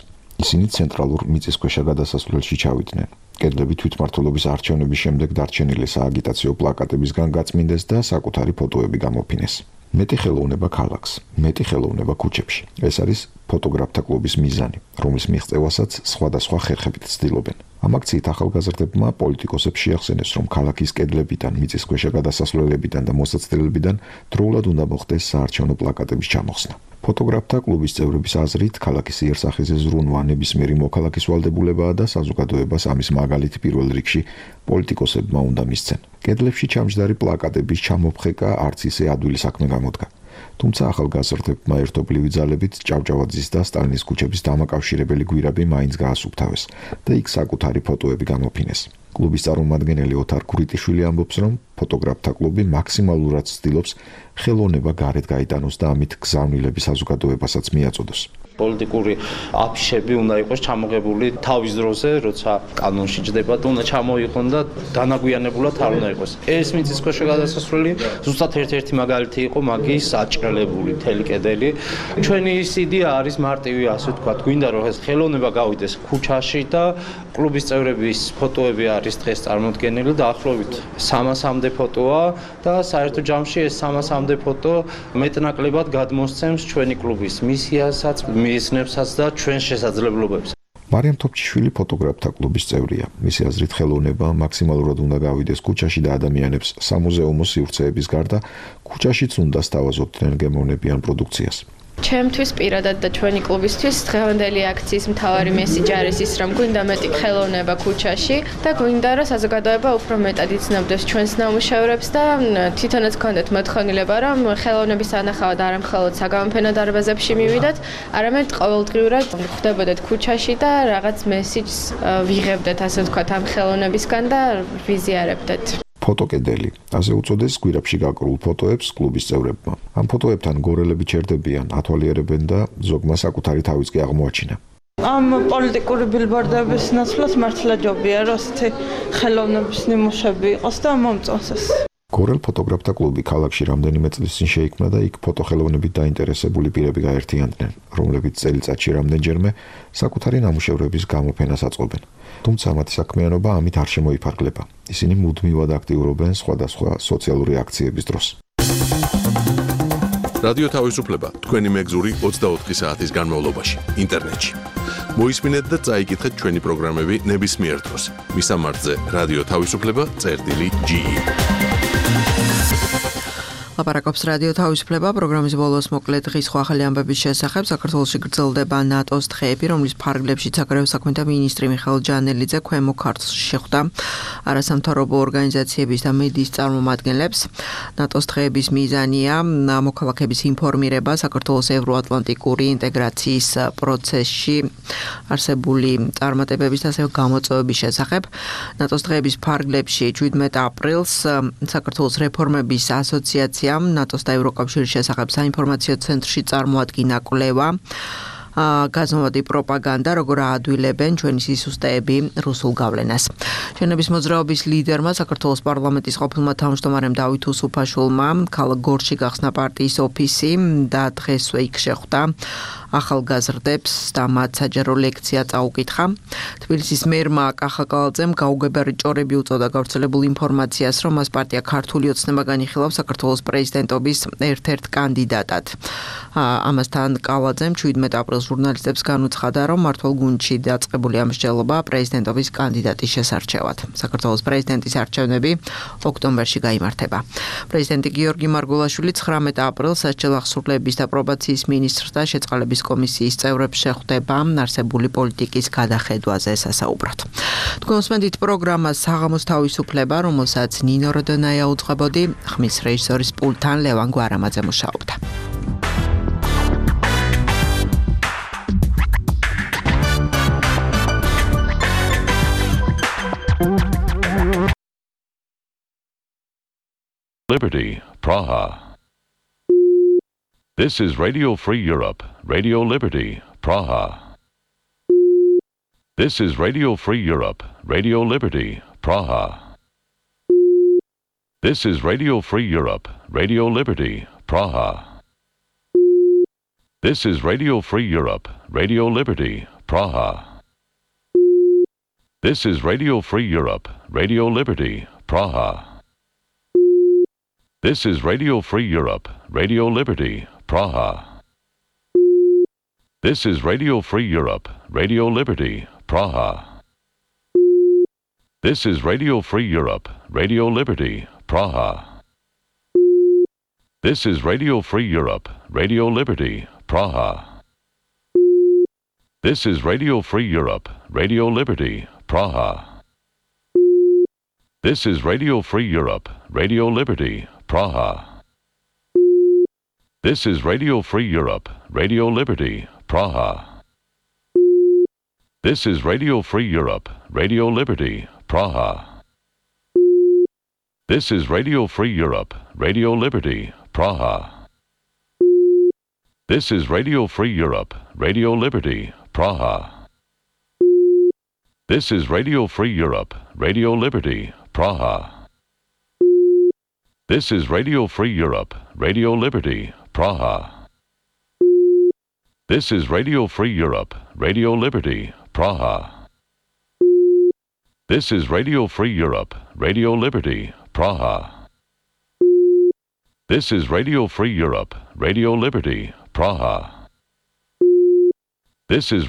ისინი ცენტრალურ მიწისქვეშა გადასასვლელში ჩავიდნენ. კედლები თვითმმართველობის არჩევნების შემდეგ დარჩენილი სააგიტაციო პლაკატებისგან გაწმინდეს და საკუთარი ფოტოები გამოფინეს. მეტი ხელოვნება ქალაქს, მეტი ხელოვნება ქუჩებში. ეს არის ფოტოგრაფთა კლუბის მიზანი, რომლის მიღწევასაც სხვადასხვა ხერხებით ცდილობენ. ამ აქციით ახალგაზრდებმა პოლიტიკოსებს შეახსენეს, რომ ქალაქის კედლებიდან, მიწისქვეშა გადასასვლელებიდან და მოსაცდელებიდან დროულად უნდა მოხდეს საარჩევნო პლაკატების ჩამოხსნა. ფოტოგრაფთა კლუბის წევრების აზრით, ქალაქის იერსახეზე ზრუნვა ნებისმიერი მოქალაქის ვალდებულებაა და საზოგადოებას ამის მაგალითი პირველ რიგში პოლიტიკოსებმა უნდა მისცენ. კედლებში ჩამჯდარი პლაკატების ჩამოფხეკა არც ისე ადვილი საქმე გამოდგა. თუმცა ახალგაზრდებმა ერთობლივი ძალებით ჭავჭავაძის და სტალინის ქუჩების დამაკავშირებელი გვირაბი მაინც გაასუფთავეს და იქ საკუთარი ფოტოები გამოფინეს. კლუბის წარმომადგენელი ოთარ ქურიტიშვილი ამბობს, რომ ფოტოგრაფთა კლუბი მაქსიმალურად ცდილობს ხელოვნება გარეთ გაიტანოს და ამით გზავნილების საზოგადოებასაც მიაწოდოს. პოლიტიკური აფიშები უნდა იყოს ჩამოღებული თავის დროზე, როცა კანონში ჯდება და უნდა ჩამოიყონ და დანაგვიანებულად არ უნდა იყოს. ეს მიწისქვეშა გადასასვლელი ზუსტად ერთ-ერთი მაგალითი იყო მაგის აჭრელებული თელი კედელი. ჩვენი ის იდეა არის მარტივი, ასე ვთქვათ, გვინდა რომ ეს ხელოვნება გავიდეს ქუჩაში და კლუბის წევრების ფოტოები არის დღეს წარმოდგენილი და ახლობით სამასამდე ფოტოა და საერთო ჯამში ეს სამასამდე ფოტო მეტნაკლებად გადმოსცემს ჩვენი კლუბის მისიასაც, მიზნებსაც და ჩვენ შესაძლებლობებს. მარიამ თოფჩიშვილი ფოტოგრაფთა კლუბის წევრია. მისი აზრით ხელოვნება მაქსიმალურად უნდა გავიდეს ქუჩაში და ადამიანებს სამუზეუმო სივრცეების გარდა ქუჩაშიც უნდა სთავაზობდნენ გემოვნებიან პროდუქციას. ჩემთვის პირადად და ჩვენი კლუბისთვის დღევანდელი აქციის მთავარი მესიჯი არის ის, რომ გვინდა მეტი ხელოვნება ქუჩაში და გვინდა რომ საზოგადოება უფრო მეტად იცნობდეს ჩვენს ნამუშევრებს და თვითონაც გქონდეთ მოთხოვნილება, რომ ხელოვნების ანახავად არა მხოლოდ საგამოფენო დარბაზებში მივიდეთ, არამედ ყოველდღიურად ხვდებოდეთ ქუჩაში და რაღაც მესიჯს ვიღებდეთ, ასე ვთქვათ, ამ ხელოვნებისგან და ვიზიარებდეთ. ფოტოკედელი, ასე უწოდეს გვირაბში გაკრულ ფოტოებს კლუბის წევრებმა. ამ ფოტოებთან გორელები ჩერდებიან, ათვალიერებენ და ზოგმა საკუთარი თავიც კი აღმოაჩინა. ამ პოლიტიკური ბილბორდების ნაცვლად მართლა ჯობია, რომ ასეთი ხელოვნების ნიმუშები იყოს და მომწონს ეს. გორელ ფოტოგრაფთა კლუბი ქალაქში რამდენიმე წლის წინ შეიქმნა და იქ ფოტოხელოვნებით დაინტერესებული პირები გაერთიანდნენ, რომლებიც წელიწადში რამდენჯერმე საკუთარი ნამუშევრების გამოფენას აწყობენ. თუმცა მათი საქმიანობა ამით არ შემოიფარგლება. ისინი მუდმივად აქტიურობენ სხვადასხვა სოციალური აქციების დროს. რადიო თავისუფლება თქვენი მეგზური ოცდაოთხი საათის განმავლობაში ინტერნეტში. მოისმინეთ და წაიკითხეთ ჩვენი პროგრამები ნებისმიერ დროს. მისამართზე რადიო თავისუფლება წერტილი ჯი ი. ლაპარაკობს რადიო თავისუფლება პროგრამის ბოლოს მოკლე დღის სხვა ახალი ამბების შესახებ. საქართველოში გრძელდება ნატოს დღეები, რომლის ფარგლებშიც საგარეო საქმეთა მინისტრი მიხეილ ჯანელიძე ქვემო ქართლში შეხვდა არასამთავრობო ორგანიზაციების და მედიის წარმომადგენლებს. ნატოს დღეების მიზანია მოქალაქეების ინფორმირება საქართველოს ევროატლანტიკური ინტეგრაციის პროცესში არსებული წარმატებების და ასევე გამოწვევების შესახებ. ნატოს დღეების ფარგლებში შვიდმეტ აპრილს საქართველოს რეფორმების ასოციაცია ნატოს და ევროკავშირის შესახებ საინფორმაციო ცენტრში წარმოადგინა კვლევა. გაზომვადი პროპაგანდა, როგორ აადვილებენ ჩვენი სისუსტეები რუსულ გავლენას. შენების მოძრაობის ლიდერმა საქართველოს პარლამენტის ყოფილმა თავმჯდომარემ დავით უსუფაშვილმა ქალაქ გორში გახსნა პარტიის ოფისი და დღესვე იქ შეხვდა ახალგაზრდებს და მათ საჯარო ლექცია წაუკითხა. თბილისის მერმა კახაკალაძემ გაუგებარი ჭორები უწოდა გავრცელებულ ინფორმაციას, რომ მას პარტია ქართული ოცნება განიხილავს საქართველოს პრეზიდენტობის ერთ-ერთ კანდიდატად. ამასთან კალაძემ შვიდმეტ აპრილს ჟურნალისტებს განუცხადა, რომ მმართველ გუნდში დაწყებული ამ მსჯელობა პრეზიდენტობის კანდიდატის შესარჩევად. საქართველოს პრეზიდენტის არჩევნები ოქტომბერში გაიმართება. პრეზიდენტი გიორგი მარგულაშვილი ცხრამეტ აპრილს სასჯელ აღსრულების და პრობაციის მინისტრთა შეწყალების კომისიის წევრებს შეხვდება არსებული პოლიტიკის გადახედვაზე სასაუბრად. თქვენ უსმენთ პროგრამას საღამოს თავისუფლება, რომელსაც ნინო როდონაია უწყებოდი, ხმის რეჟისორის პულტთან ლევან გვარამაძე მუშაობდა. Liberty, Praha. This is Radio Free Europe, Radio Liberty, Praha. This is Radio Free Europe, Radio Liberty, Praha. This is Radio Free Europe, Radio Liberty, Praha. This is Radio Free Europe, Radio Liberty, Praha. This is Radio Free Europe, Radio Liberty, Praha. This is Radio Free Europe, Radio Liberty, Praha. This is Radio Free Europe, Radio Liberty, Praha. This is Radio Free Europe, Radio Liberty, Praha. This is Radio Free Europe, Radio Liberty, Praha. This is Radio Free Europe, Radio Liberty, Praha. This is Radio Free Europe, Radio Liberty, Praha. This is Radio Free Europe, Radio Liberty, Praha. This is Radio Free Europe, Radio Liberty, Praha. This is Radio Free Europe, Radio Liberty, Praha. This is Radio Free Europe, Radio Liberty, Praha. This is Radio Free Europe, Radio Liberty, Praha. This is Radio Free Europe, Radio Liberty, Praha. This is Radio Free Europe, Radio Liberty, Praha. This is Radio Free Europe, Radio Liberty, Praha. This is Radio Free Europe, Radio Liberty, Praha. This is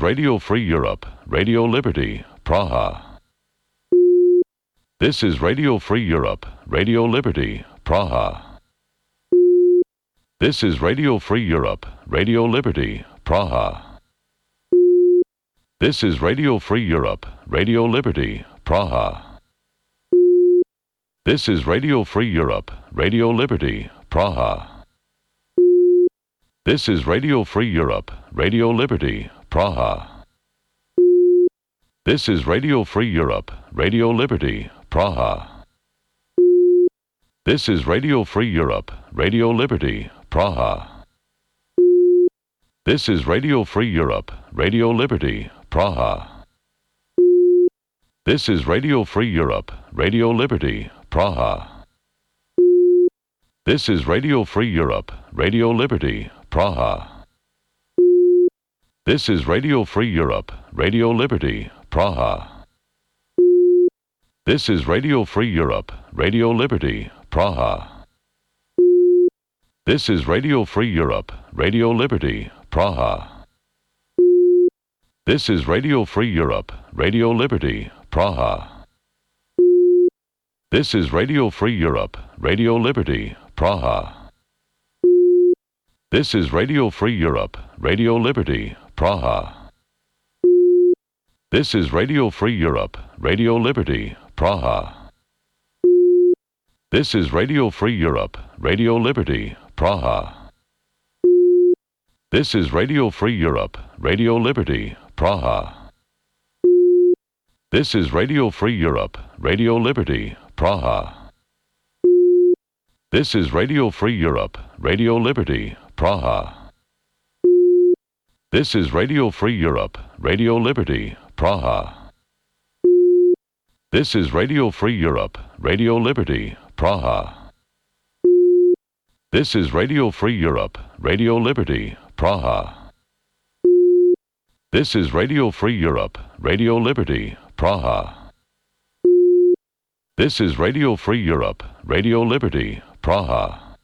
Radio Free Europe, Radio Liberty, Praha. This is Radio Free Europe, Radio Liberty, Praha. This is Radio Free Europe, Radio Liberty, Praha. This is Radio Free Europe, Radio Liberty, Praha. This is Radio Free Europe, Radio Liberty, Praha. This is Radio Free Europe, Radio Liberty, Praha. This is Radio Free Europe, Radio Liberty, Praha. This is Radio Free Europe, Radio Liberty, Praha. This is Radio Free Europe, Radio Liberty, Praha. This is Radio Free Europe, Radio Liberty, Praha. This is Radio Free Europe, Radio Liberty, Praha. This is Radio Free Europe, Radio Liberty, Praha. This is Radio Free Europe, Radio Liberty, Praha. This is Radio Free Europe, Radio Liberty, Praha. This is Radio Free Europe, Radio Liberty, Praha. This is Radio Free Europe, Radio Liberty, Praha. This is Radio Free Europe, Radio Liberty, Praha. This is Radio Free Europe, Radio Liberty, Praha. This is Radio Free Europe, Radio Liberty, Praha. This is Radio Free Europe, Radio Liberty, Praha. This is Radio Free Europe, Radio Liberty, Praha. This is Radio Free Europe, Radio Liberty, Praha. This is Radio Free Europe, Radio Liberty, Praha. This is Radio Free Europe, Radio Liberty, Praha. This is Radio Free Europe, Radio Liberty, Praha. This is Radio Free Europe, Radio Liberty, Praha. This is Radio Free Europe, Radio Liberty, Praha.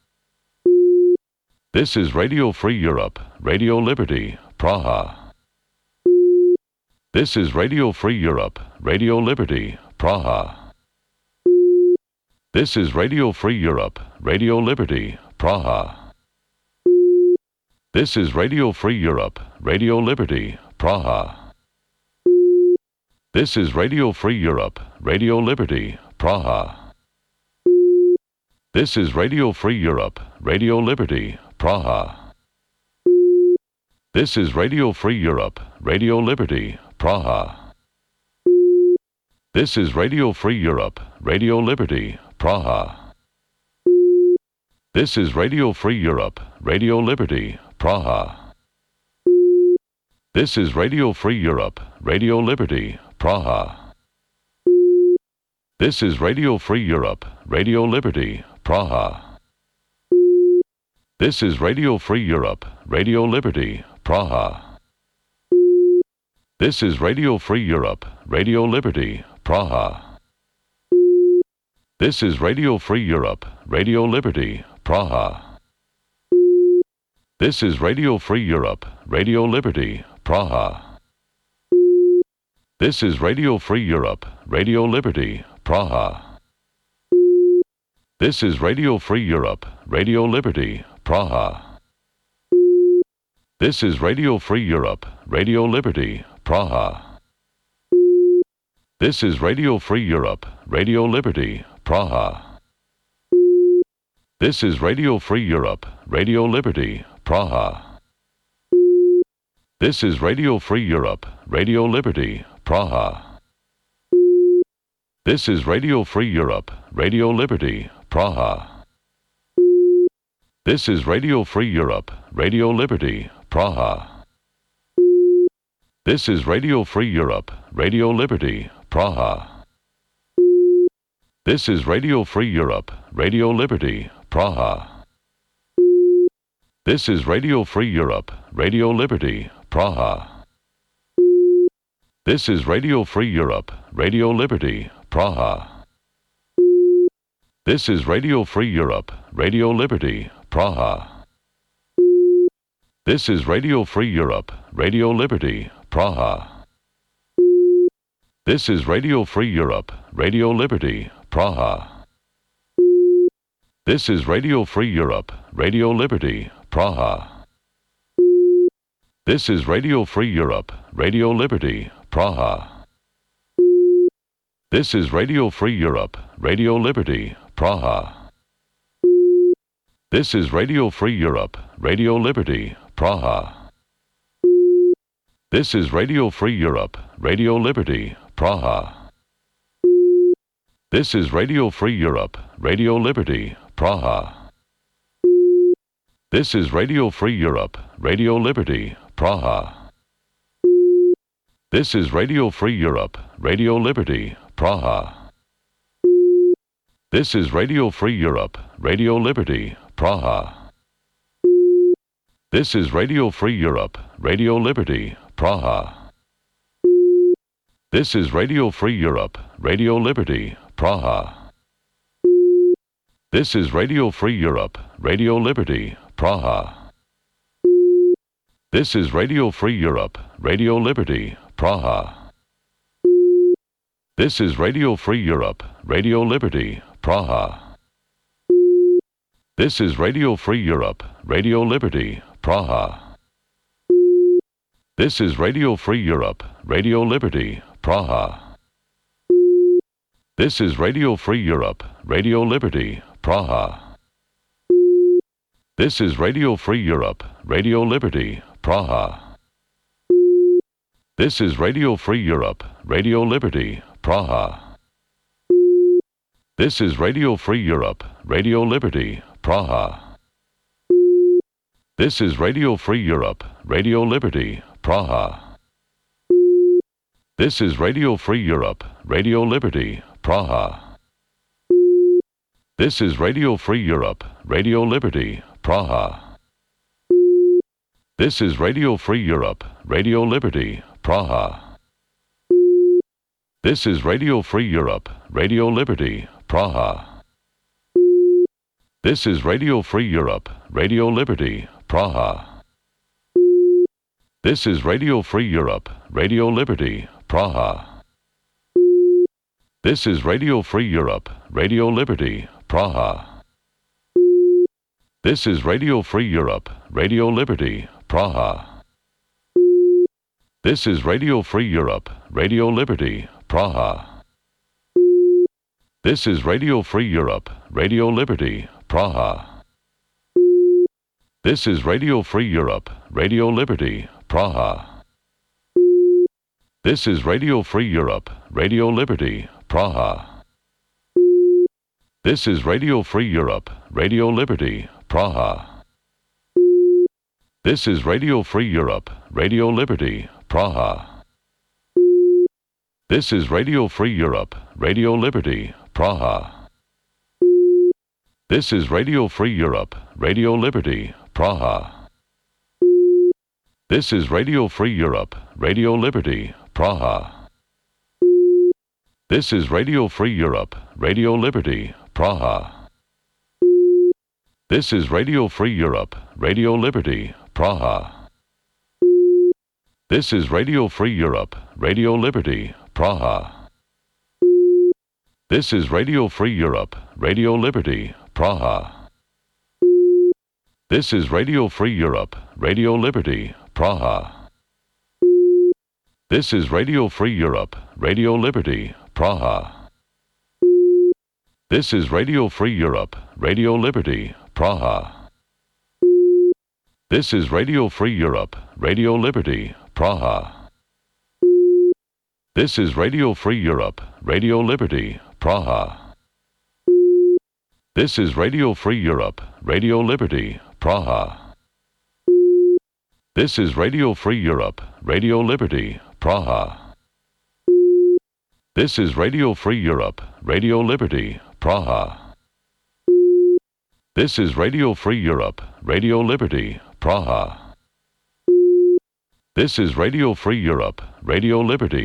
This is Radio Free Europe, Radio Liberty, Praha. This is Radio Free Europe, Radio Liberty, Praha. This is Radio Free Europe, Radio Liberty, Praha. This is Radio Free Europe, Radio Liberty, Praha. This is Radio Free Europe, Radio Liberty, Praha. This is Radio Free Europe, Radio Liberty, Praha. This is Radio Free Europe, Radio Liberty, Praha. This is Radio Free Europe, Radio Liberty, Praha. This is Radio Free Europe, Radio Liberty, Praha. This is Radio Free Europe, Radio Liberty, Praha. This is Radio Free Europe, Radio Liberty, Praha. This is Radio Free Europe, Radio Liberty, Praha. This is Radio Free Europe, Radio Liberty, Praha. This is Radio Free Europe, Radio Liberty, Praha. This is Radio Free Europe, Radio Liberty, Praha. This is Radio Free Europe, Radio Liberty, Praha. This is Radio Free Europe, Radio Liberty, Praha. This is Radio Free Europe, Radio Liberty, Praha. This is Radio Free Europe, Radio Liberty, Praha. This is Radio Free Europe, Radio Liberty, Praha. This is Radio Free Europe, Radio Liberty, Praha. This is Radio Free Europe, Radio Liberty, Praha. This is Radio Free Europe, Radio Liberty, Praha. This is Radio Free Europe, Radio Liberty, Praha. This is Radio Free Europe, Radio Liberty, Praha. This is Radio Free Europe, Radio Liberty, Praha. This is Radio Free Europe, Radio Liberty, Praha. This is Radio Free Europe, Radio Liberty, Praha. This is Radio Free Europe, Radio Liberty, Praha. This is Radio Free Europe, Radio Liberty, Praha. This is Radio Free Europe, Radio Liberty, Praha. This is Radio Free Europe, Radio Liberty, Praha. This is Radio Free Europe, Radio Liberty, Praha. This is Radio Free Europe, Radio Liberty, Praha. This is Radio Free Europe, Radio Liberty, Praha. This is Radio Free Europe, Radio Liberty, Praha. This is Radio Free Europe, Radio Liberty, Praha. This is Radio Free Europe, Radio Liberty, Praha. This is Radio Free Europe, Radio Liberty, Praha. This is Radio Free Europe, Radio Liberty, Praha. This is Radio Free Europe, Radio Liberty, Praha. This is Radio Free Europe, Radio Liberty, Praha. This is Radio Free Europe, Radio Liberty, Praha. This is Radio Free Europe, Radio Liberty, Praha. This is Radio Free Europe, Radio Liberty, Praha. This is Radio Free Europe, Radio Liberty, Praha. This is Radio Free Europe, Radio Liberty, Praha. This is Radio Free Europe, Radio Liberty, Praha. This is Radio Free Europe, Radio Liberty, Praha. This is Radio Free Europe, Radio Liberty, Praha. This is Radio Free Europe, Radio Liberty, Praha. This is Radio Free Europe, Radio Liberty, Praha. This is Radio Free Europe, Radio Liberty, Praha. This is Radio Free Europe, Radio Liberty, Praha. This is Radio Free Europe, Radio Liberty, Praha. This is Radio Free Europe, Radio Liberty, Praha. This is Radio Free Europe, Radio Liberty, Praha. This is Radio Free Europe, Radio Liberty, Praha. This is Radio Free Europe, Radio Liberty, Praha. This is Radio Free Europe, Radio Liberty, Praha. This is Radio Free Europe, Radio Liberty, Praha. This is Radio Free Europe, Radio Liberty, Praha. This is Radio Free Europe, Radio Liberty, Praha. This is Radio Free Europe, Radio Liberty, Praha. This is Radio Free Europe, Radio Liberty, Praha. This is Radio Free Europe, Radio Liberty, Praha. This is Radio Free Europe, Radio Liberty, Praha. This is Radio Free Europe, Radio Liberty, Praha. This is Radio Free Europe, Radio Liberty, Praha. This is Radio Free Europe, Radio Liberty, Praha. This is Radio Free Europe, Radio Liberty, Praha. This is Radio Free Europe, Radio Liberty, Praha. This is Radio Free Europe, Radio Liberty, Praha. This is Radio Free Europe, Radio Liberty, Praha. This is Radio Free Europe, Radio Liberty, Praha. This is Radio Free Europe, Radio Liberty, Praha. This is Radio Free Europe, Radio Liberty, Praha. This is Radio Free Europe, Radio Liberty, Praha. This is Radio Free Europe, Radio Liberty, Praha. This is Radio Free Europe, Radio Liberty, Praha. This is Radio Free Europe, Radio Liberty, Praha. This is Radio Free Europe, Radio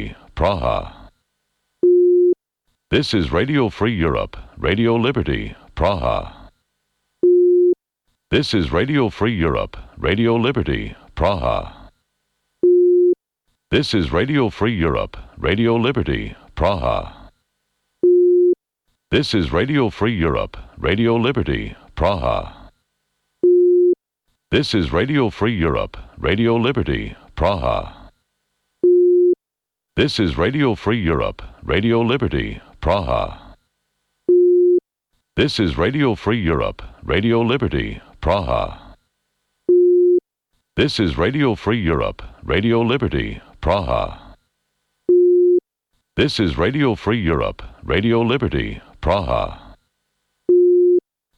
Liberty, Praha. This is Radio Free Europe, Radio Liberty, Praha. This is Radio Free Europe, Radio Liberty, Praha. This is Radio Free Europe, Radio Liberty, Praha. This is Radio Free Europe, Radio Liberty, Praha. This is Radio Free Europe, Radio Liberty, Praha. This is Radio Free Europe, Radio Liberty, Praha. This is Radio Free Europe, Radio Liberty, Praha. This is Radio Free Europe, Radio Liberty, Praha. This is Radio Free Europe, Radio Liberty, Praha.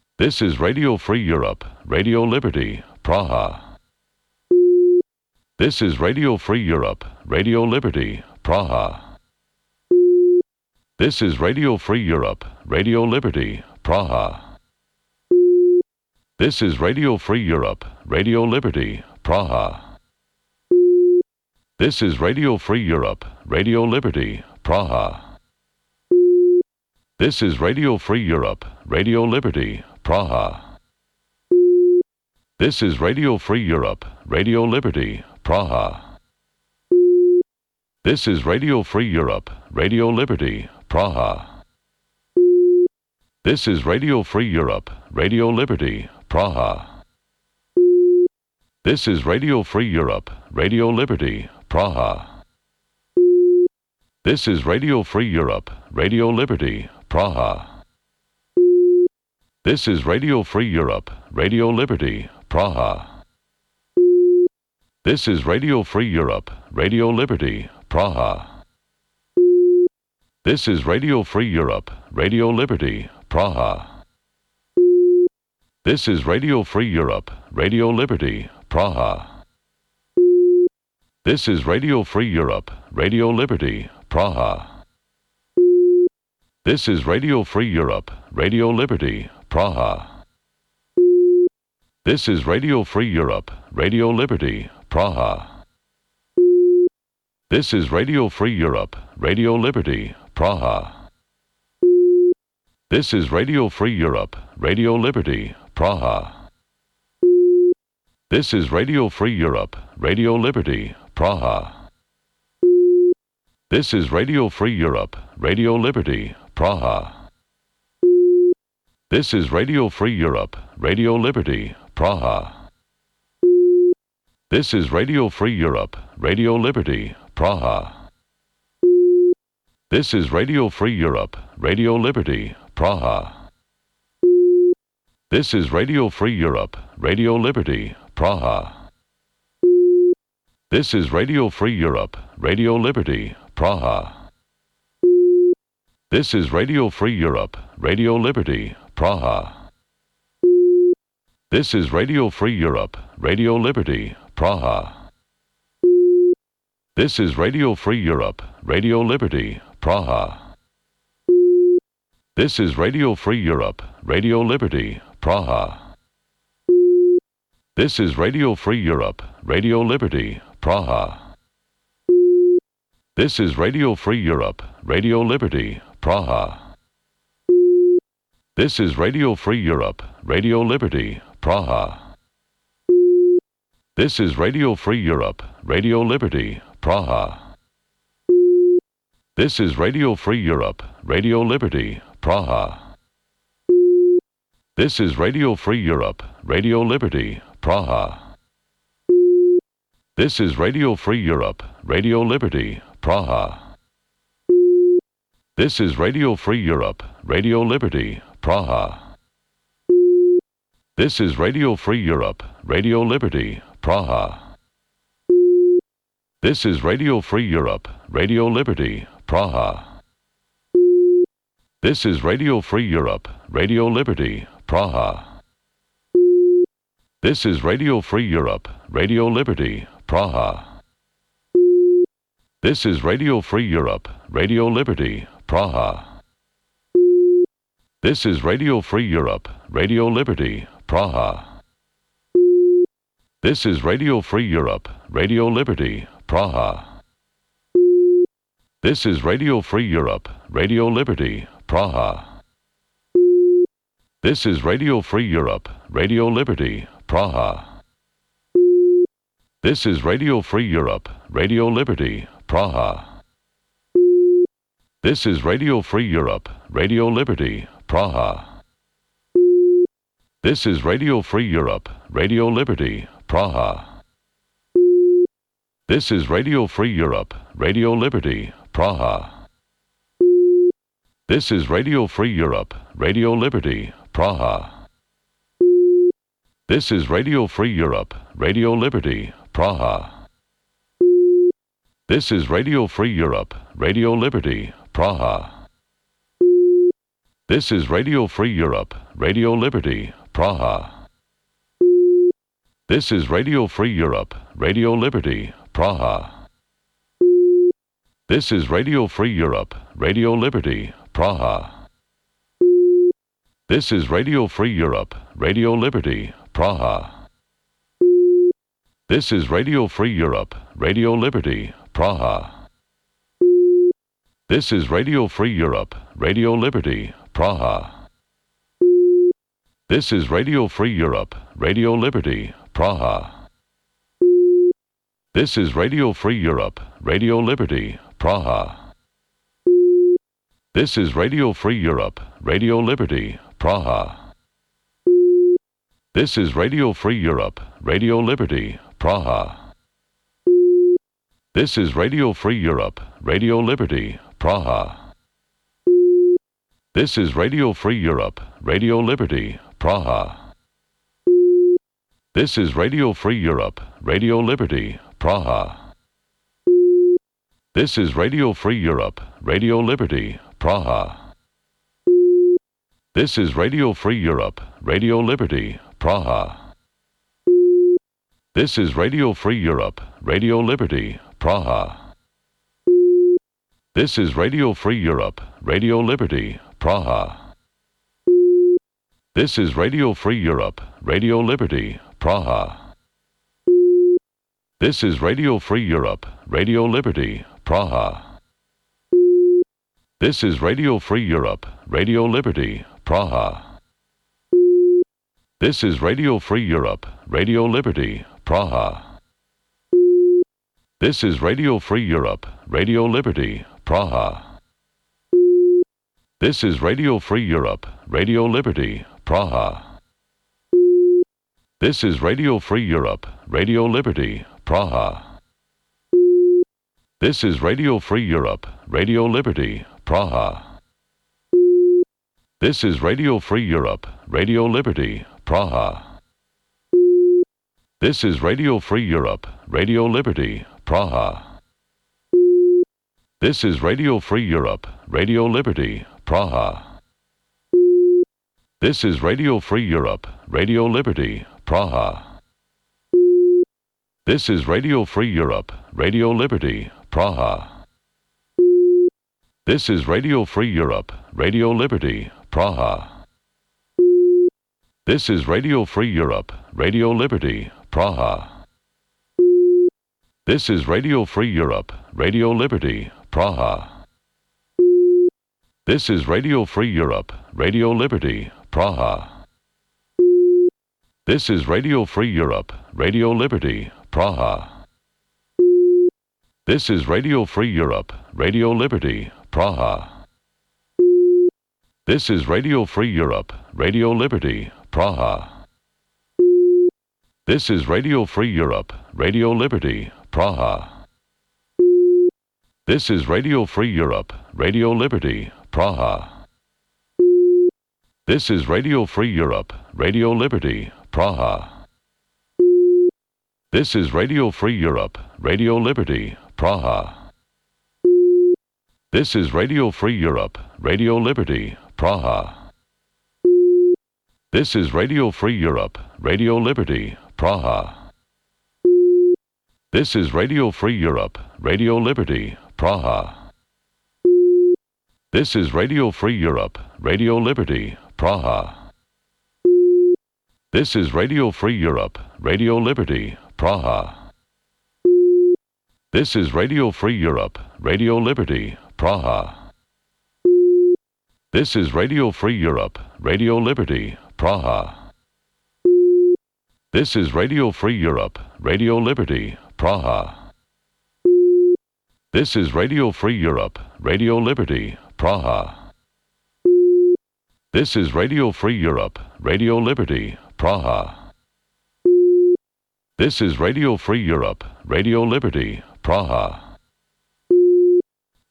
This is Radio Free Europe, Radio Liberty, Praha. This is Radio Free Europe, Radio Liberty, Praha. This is Radio Free Europe, Radio Liberty, Praha. This is Radio Free Europe, Radio Liberty, Praha. This is Radio Free Europe, Radio Liberty, Praha. This is Radio Free Europe, Radio Liberty, Praha. This is Radio Free Europe, Radio Liberty, Praha. This is Radio Free Europe, Radio Liberty, Praha. This is Radio Free Europe, Radio Liberty, Praha. This is Radio Free Europe, Radio Liberty, Praha. This is Radio Free Europe, Radio Liberty, Praha. This is Radio Free Europe, Radio Liberty, Praha. This is Radio Free Europe, Radio Liberty, Praha. This is Radio Free Europe, Radio Liberty, Praha. This is Radio Free Europe, Radio Liberty, Praha. This is Radio Free Europe, Radio Liberty, Praha. This is Radio Free Europe, Radio Liberty, Praha. This is Radio Free Europe, Radio Liberty, Praha. This is Radio Free Europe, Radio Liberty, Praha. This is Radio Free Europe, Radio Liberty, Praha. This is Radio Free Europe, Radio Liberty, Praha. This is Radio Free Europe, Radio Liberty, Praha. This is Radio Free Europe, Radio Liberty, Praha. This is Radio Free Europe, Radio Liberty, Praha. This is Radio Free Europe, Radio Liberty, Praha. This is Radio Free Europe, Radio Liberty, Praha. This is Radio Free Europe, Radio Liberty, Praha. This is Radio Free Europe, Radio Liberty, Praha. This is Radio Free Europe, Radio Liberty, Praha. This is Radio Free Europe, Radio Liberty, Praha. This is Radio Free Europe, Radio Liberty, Praha. This is Radio Free Europe, Radio Liberty, Praha. This is Radio Free Europe, Radio Liberty, Praha. This is Radio Free Europe, Radio Liberty, Praha. This is Radio Free Europe, Radio Liberty, Praha. This is Radio Free Europe, Radio Liberty, Praha. This is Radio Free Europe, Radio Liberty, Praha. This is Radio Free Europe, Radio Liberty, Praha. This is Radio Free Europe, Radio Liberty, Praha. This is Radio Free Europe, Radio Liberty, Praha. This is Radio Free Europe, Radio Liberty, Praha. This is Radio Free Europe, Radio Liberty, Praha. This is Radio Free Europe, Radio Liberty, Praha. This is Radio Free Europe, Radio Liberty, Praha. This is Radio Free Europe, Radio Liberty, Praha. This is Radio Free Europe, Radio Liberty, Praha. This is Radio Free Europe, Radio Liberty, Praha. This is Radio Free Europe, Radio Liberty, Praha. This is Radio Free Europe, Radio Liberty, Praha. This is Radio Free Europe, Radio Liberty, Praha. This is Radio Free Europe, Radio Liberty, Praha. This is Radio Free Europe, Radio Liberty, Praha. This is Radio Free Europe, Radio Liberty, Praha. This is Radio Free Europe, Radio Liberty, Praha. This is Radio Free Europe, Radio Liberty, Praha. This is Radio Free Europe, Radio Liberty, Praha. This is Radio Free Europe, Radio Liberty, Praha. This is Radio Free Europe, Radio Liberty, Praha. This is Radio Free Europe, Radio Liberty, Praha. This is Radio Free Europe, Radio Liberty, Praha. This is Radio Free Europe, Radio Liberty, Praha. This is Radio Free Europe, Radio Liberty, Praha. This is Radio Free Europe, Radio Liberty, Praha. This is Radio Free Europe, Radio Liberty, Praha. This is Radio Free Europe, Radio Liberty, Praha. This is Radio Free Europe, Radio Liberty, Praha. This is Radio Free Europe, Radio Liberty, Praha. This is Radio Free Europe, Radio Liberty, Praha. This is Radio Free Europe, Radio Liberty, Praha. This is Radio Free Europe, Radio Liberty, Praha. This is Radio Free Europe, Radio Liberty, Praha. This is Radio Free Europe, Radio Liberty, Praha. This is Radio Free Europe, Radio Liberty, Praha. This is Radio Free Europe, Radio Liberty, Praha. This is Radio Free Europe, Radio Liberty, Praha. This is Radio Free Europe, Radio Liberty, Praha. This is Radio Free Europe, Radio Liberty, Praha. This is Radio Free Europe, Radio Liberty, Praha. This is Radio Free Europe, Radio Liberty, Praha. This is Radio Free Europe, Radio Liberty, Praha. This is Radio Free Europe, Radio Liberty, Praha. This is Radio Free Europe, Radio Liberty, Praha. This is Radio Free Europe, Radio Liberty, Praha. This is Radio Free Europe, Radio Liberty, Praha. This is Radio Free Europe, Radio Liberty, Praha. This is Radio Free Europe, Radio Liberty, Praha. This is Radio Free Europe, Radio Liberty, Praha. This is Radio Free Europe, Radio Liberty, Praha. This is Radio Free Europe, Radio Liberty, Praha. This is Radio Free Europe, Radio Liberty, Praha. This is Radio Free Europe, Radio Liberty, Praha. This is Radio Free Europe, Radio Liberty, Praha. This is Radio Free Europe, Radio Liberty, Praha. This is Radio Free Europe, Radio Liberty, Praha. This is Radio Free Europe, Radio Liberty, Praha. This is Radio Free Europe, Radio Liberty, Praha. This is Radio Free Europe, Radio Liberty, Praha. This is Radio Free Europe, Radio Liberty, Praha. This is Radio Free Europe, Radio Liberty, Praha. This is Radio Free Europe, Radio Liberty, Praha. This is Radio Free Europe, Radio Liberty, Praha. This is Radio Free Europe, Radio Liberty, Praha. This is Radio Free Europe, Radio Liberty, Praha. This is Radio Free Europe, Radio Liberty, Praha. This is Radio Free Europe, Radio Liberty, Praha. This is Radio Free Europe, Radio Liberty, Praha. This is Radio Free Europe, Radio Liberty, Praha. This is Radio Free Europe, Radio Liberty, Praha.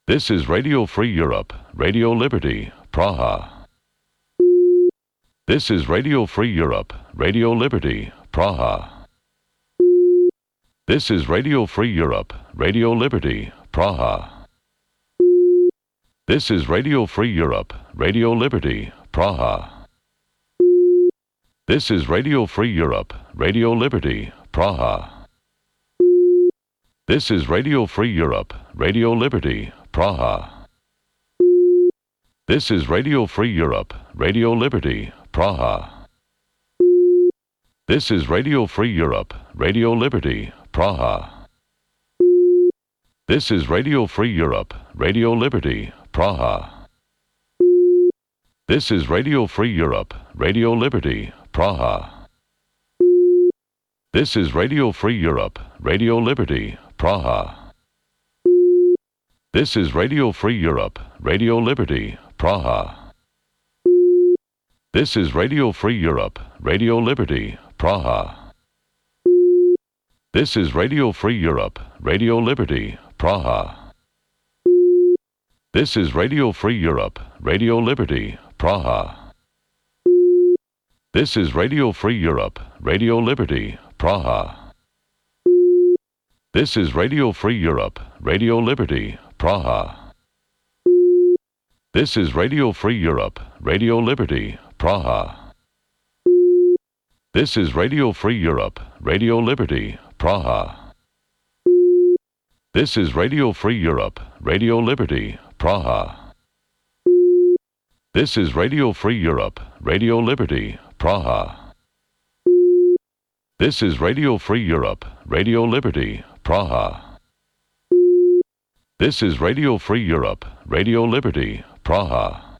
This is Radio Free Europe, Radio Liberty, Praha. This is Radio Free Europe, Radio Liberty, Praha. This is Radio Free Europe, Radio Liberty, Praha. This is Radio Free Europe, Radio Liberty, Praha. This is Radio Free Europe, Radio Liberty, Praha. This is Radio Free Europe, Radio Liberty, Praha. This is Radio Free Europe, Radio Liberty, Praha. This is Radio Free Europe, Radio Liberty, Praha. This is Radio Free Europe, Radio Liberty, Praha. This is Radio Free Europe, Radio Liberty, Praha. This is Radio Free Europe, Radio Liberty, Praha. This is Radio Free Europe, Radio Liberty, Praha. This is Radio Free Europe, Radio Liberty, Praha. This is Radio Free Europe, Radio Liberty, Praha. This is Radio Free Europe, Radio Liberty, Praha. This is Radio Free Europe, Radio Liberty, Praha. This is Radio Free Europe, Radio Liberty, Praha. This is Radio Free Europe, Radio Liberty, Praha. This is Radio Free Europe, Radio Liberty, Praha. This is Radio Free Europe, Radio Liberty, Praha. This is Radio Free Europe, Radio Liberty, Praha. This is Radio Free Europe, Radio Liberty, Praha.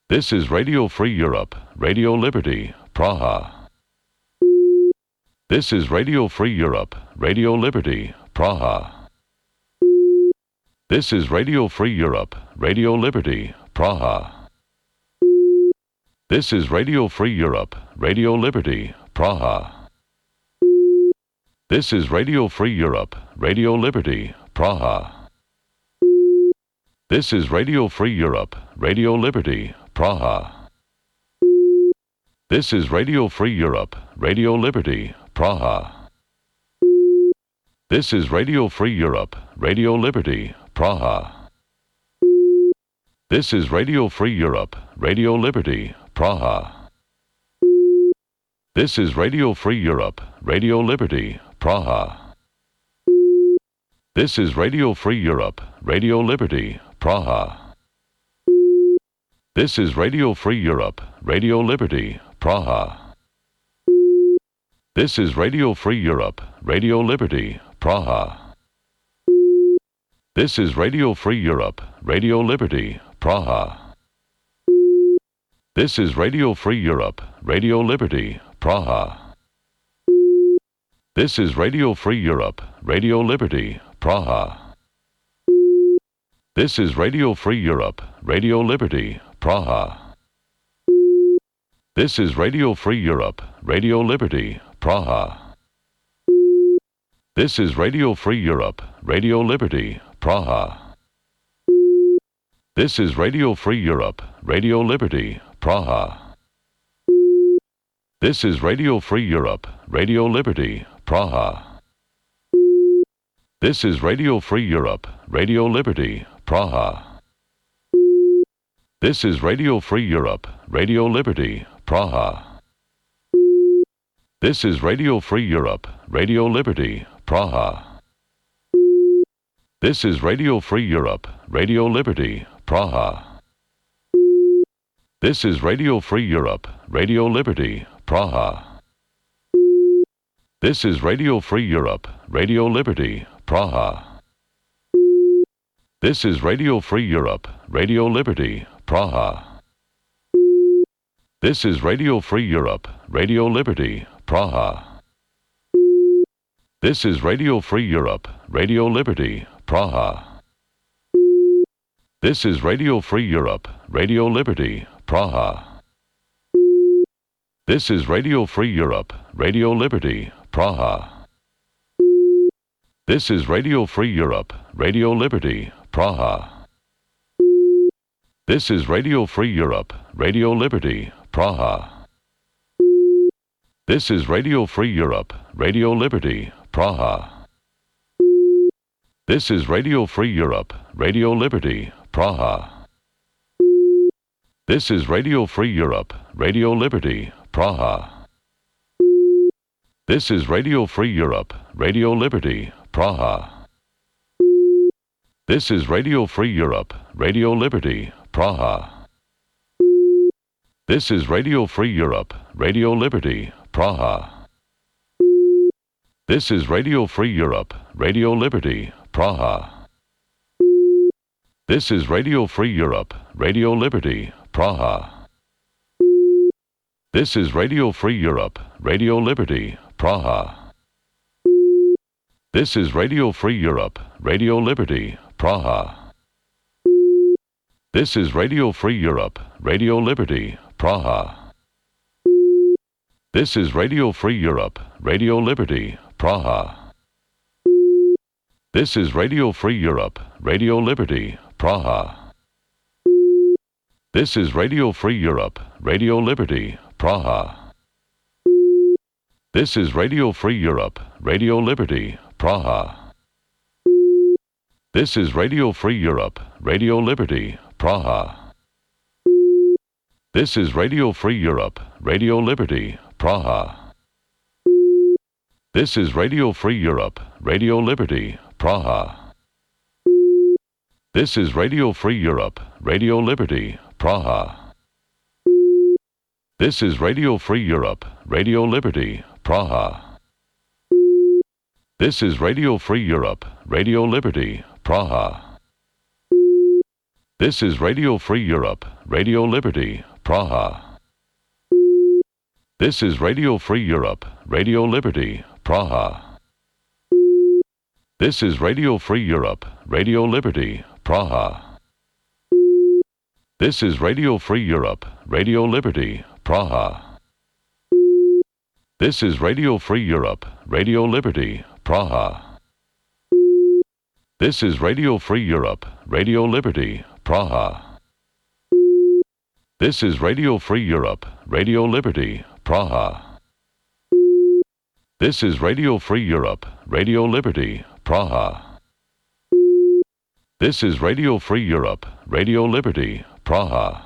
This is Radio Free Europe, Radio Liberty, Praha. This is Radio Free Europe, Radio Liberty, Praha. This is Radio Free Europe, Radio Liberty, Praha. This is Radio Free Europe, Radio Liberty, Praha. This is Radio Free Europe, Radio Liberty, Praha. This is Radio Free Europe, Radio Liberty, Praha. This is Radio Free Europe, Radio Liberty, Praha. This is Radio Free Europe, Radio Liberty, Praha. This is Radio Free Europe, Radio Liberty, Praha. This is Radio Free Europe, Radio Liberty, Praha. This is Radio Free Europe, Radio Liberty, Praha. This is Radio Free Europe, Radio Liberty, Praha. This is Radio Free Europe, Radio Liberty, Praha. This is Radio Free Europe, Radio Liberty, Praha. This is Radio Free Europe, Radio Liberty, Praha. This is Radio Free Europe, Radio Liberty, Praha. This is Radio Free Europe, Radio Liberty, Praha. This is Radio Free Europe, Radio Liberty, Praha. This is Radio Free Europe, Radio Liberty, Praha. This is Radio Free Europe, Radio Liberty, Praha. This is Radio Free Europe, Radio Liberty, Praha. This is Radio Free Europe, Radio Liberty, Praha. This is Radio Free Europe, Radio Liberty, Praha. This is Radio Free Europe, Radio Liberty, Praha. This is Radio Free Europe, Radio Liberty, Praha. This is Radio Free Europe, Radio Liberty, Praha. This is Radio Free Europe, Radio Liberty, Praha. This is Radio Free Europe, Radio Liberty, Praha. This is Radio Free Europe, Radio Liberty, Praha. This is Radio Free Europe, Radio Liberty, Praha. This is Radio Free Europe, Radio Liberty, Praha. This is Radio Free Europe, Radio Liberty, Praha. This is Radio Free Europe, Radio Liberty, Praha. This is Radio Free Europe, Radio Liberty, Praha. This is Radio Free Europe, Radio Liberty, Praha. This is Radio Free Europe, Radio Liberty, Praha. This is Radio Free Europe, Radio Liberty, Praha. This is Radio Free Europe, Radio Liberty, Praha. This is Radio Free Europe, Radio Liberty, Praha. This is Radio Free Europe, Radio Liberty, Praha. This is Radio Free Europe, Radio Liberty, Praha. This is Radio Free Europe, Radio Liberty, Praha. This is Radio Free Europe, Radio Liberty, Praha. This is Radio Free Europe, Radio Liberty, Praha. This is Radio Free Europe, Radio Liberty, Praha. This is Radio Free Europe, Radio Liberty, Praha. This is Radio Free Europe, Radio Liberty, Praha. This is Radio Free Europe, Radio Liberty, Praha. This is Radio Free Europe, Radio Liberty, Praha. This is Radio Free Europe, Radio Liberty, Praha. This is Radio Free Europe, Radio Liberty, Praha. This is Radio Free Europe, Radio Liberty, Praha. This is Radio Free Europe, Radio Liberty, Praha. This is Radio Free Europe, Radio Liberty, Praha. This is Radio Free Europe, Radio Liberty, Praha. This is Radio Free Europe, Radio Liberty, Praha. This is Radio Free Europe, Radio Liberty, Praha. This is Radio Free Europe, Radio Liberty, Praha. This is Radio Free Europe, Radio Liberty, Praha. This is Radio Free Europe, Radio Liberty, Praha. This is Radio Free Europe, Radio Liberty, Praha. This is Radio Free Europe, Radio Liberty, Praha. This is Radio Free Europe, Radio Liberty, Praha. This is Radio Free Europe, Radio Liberty, Praha.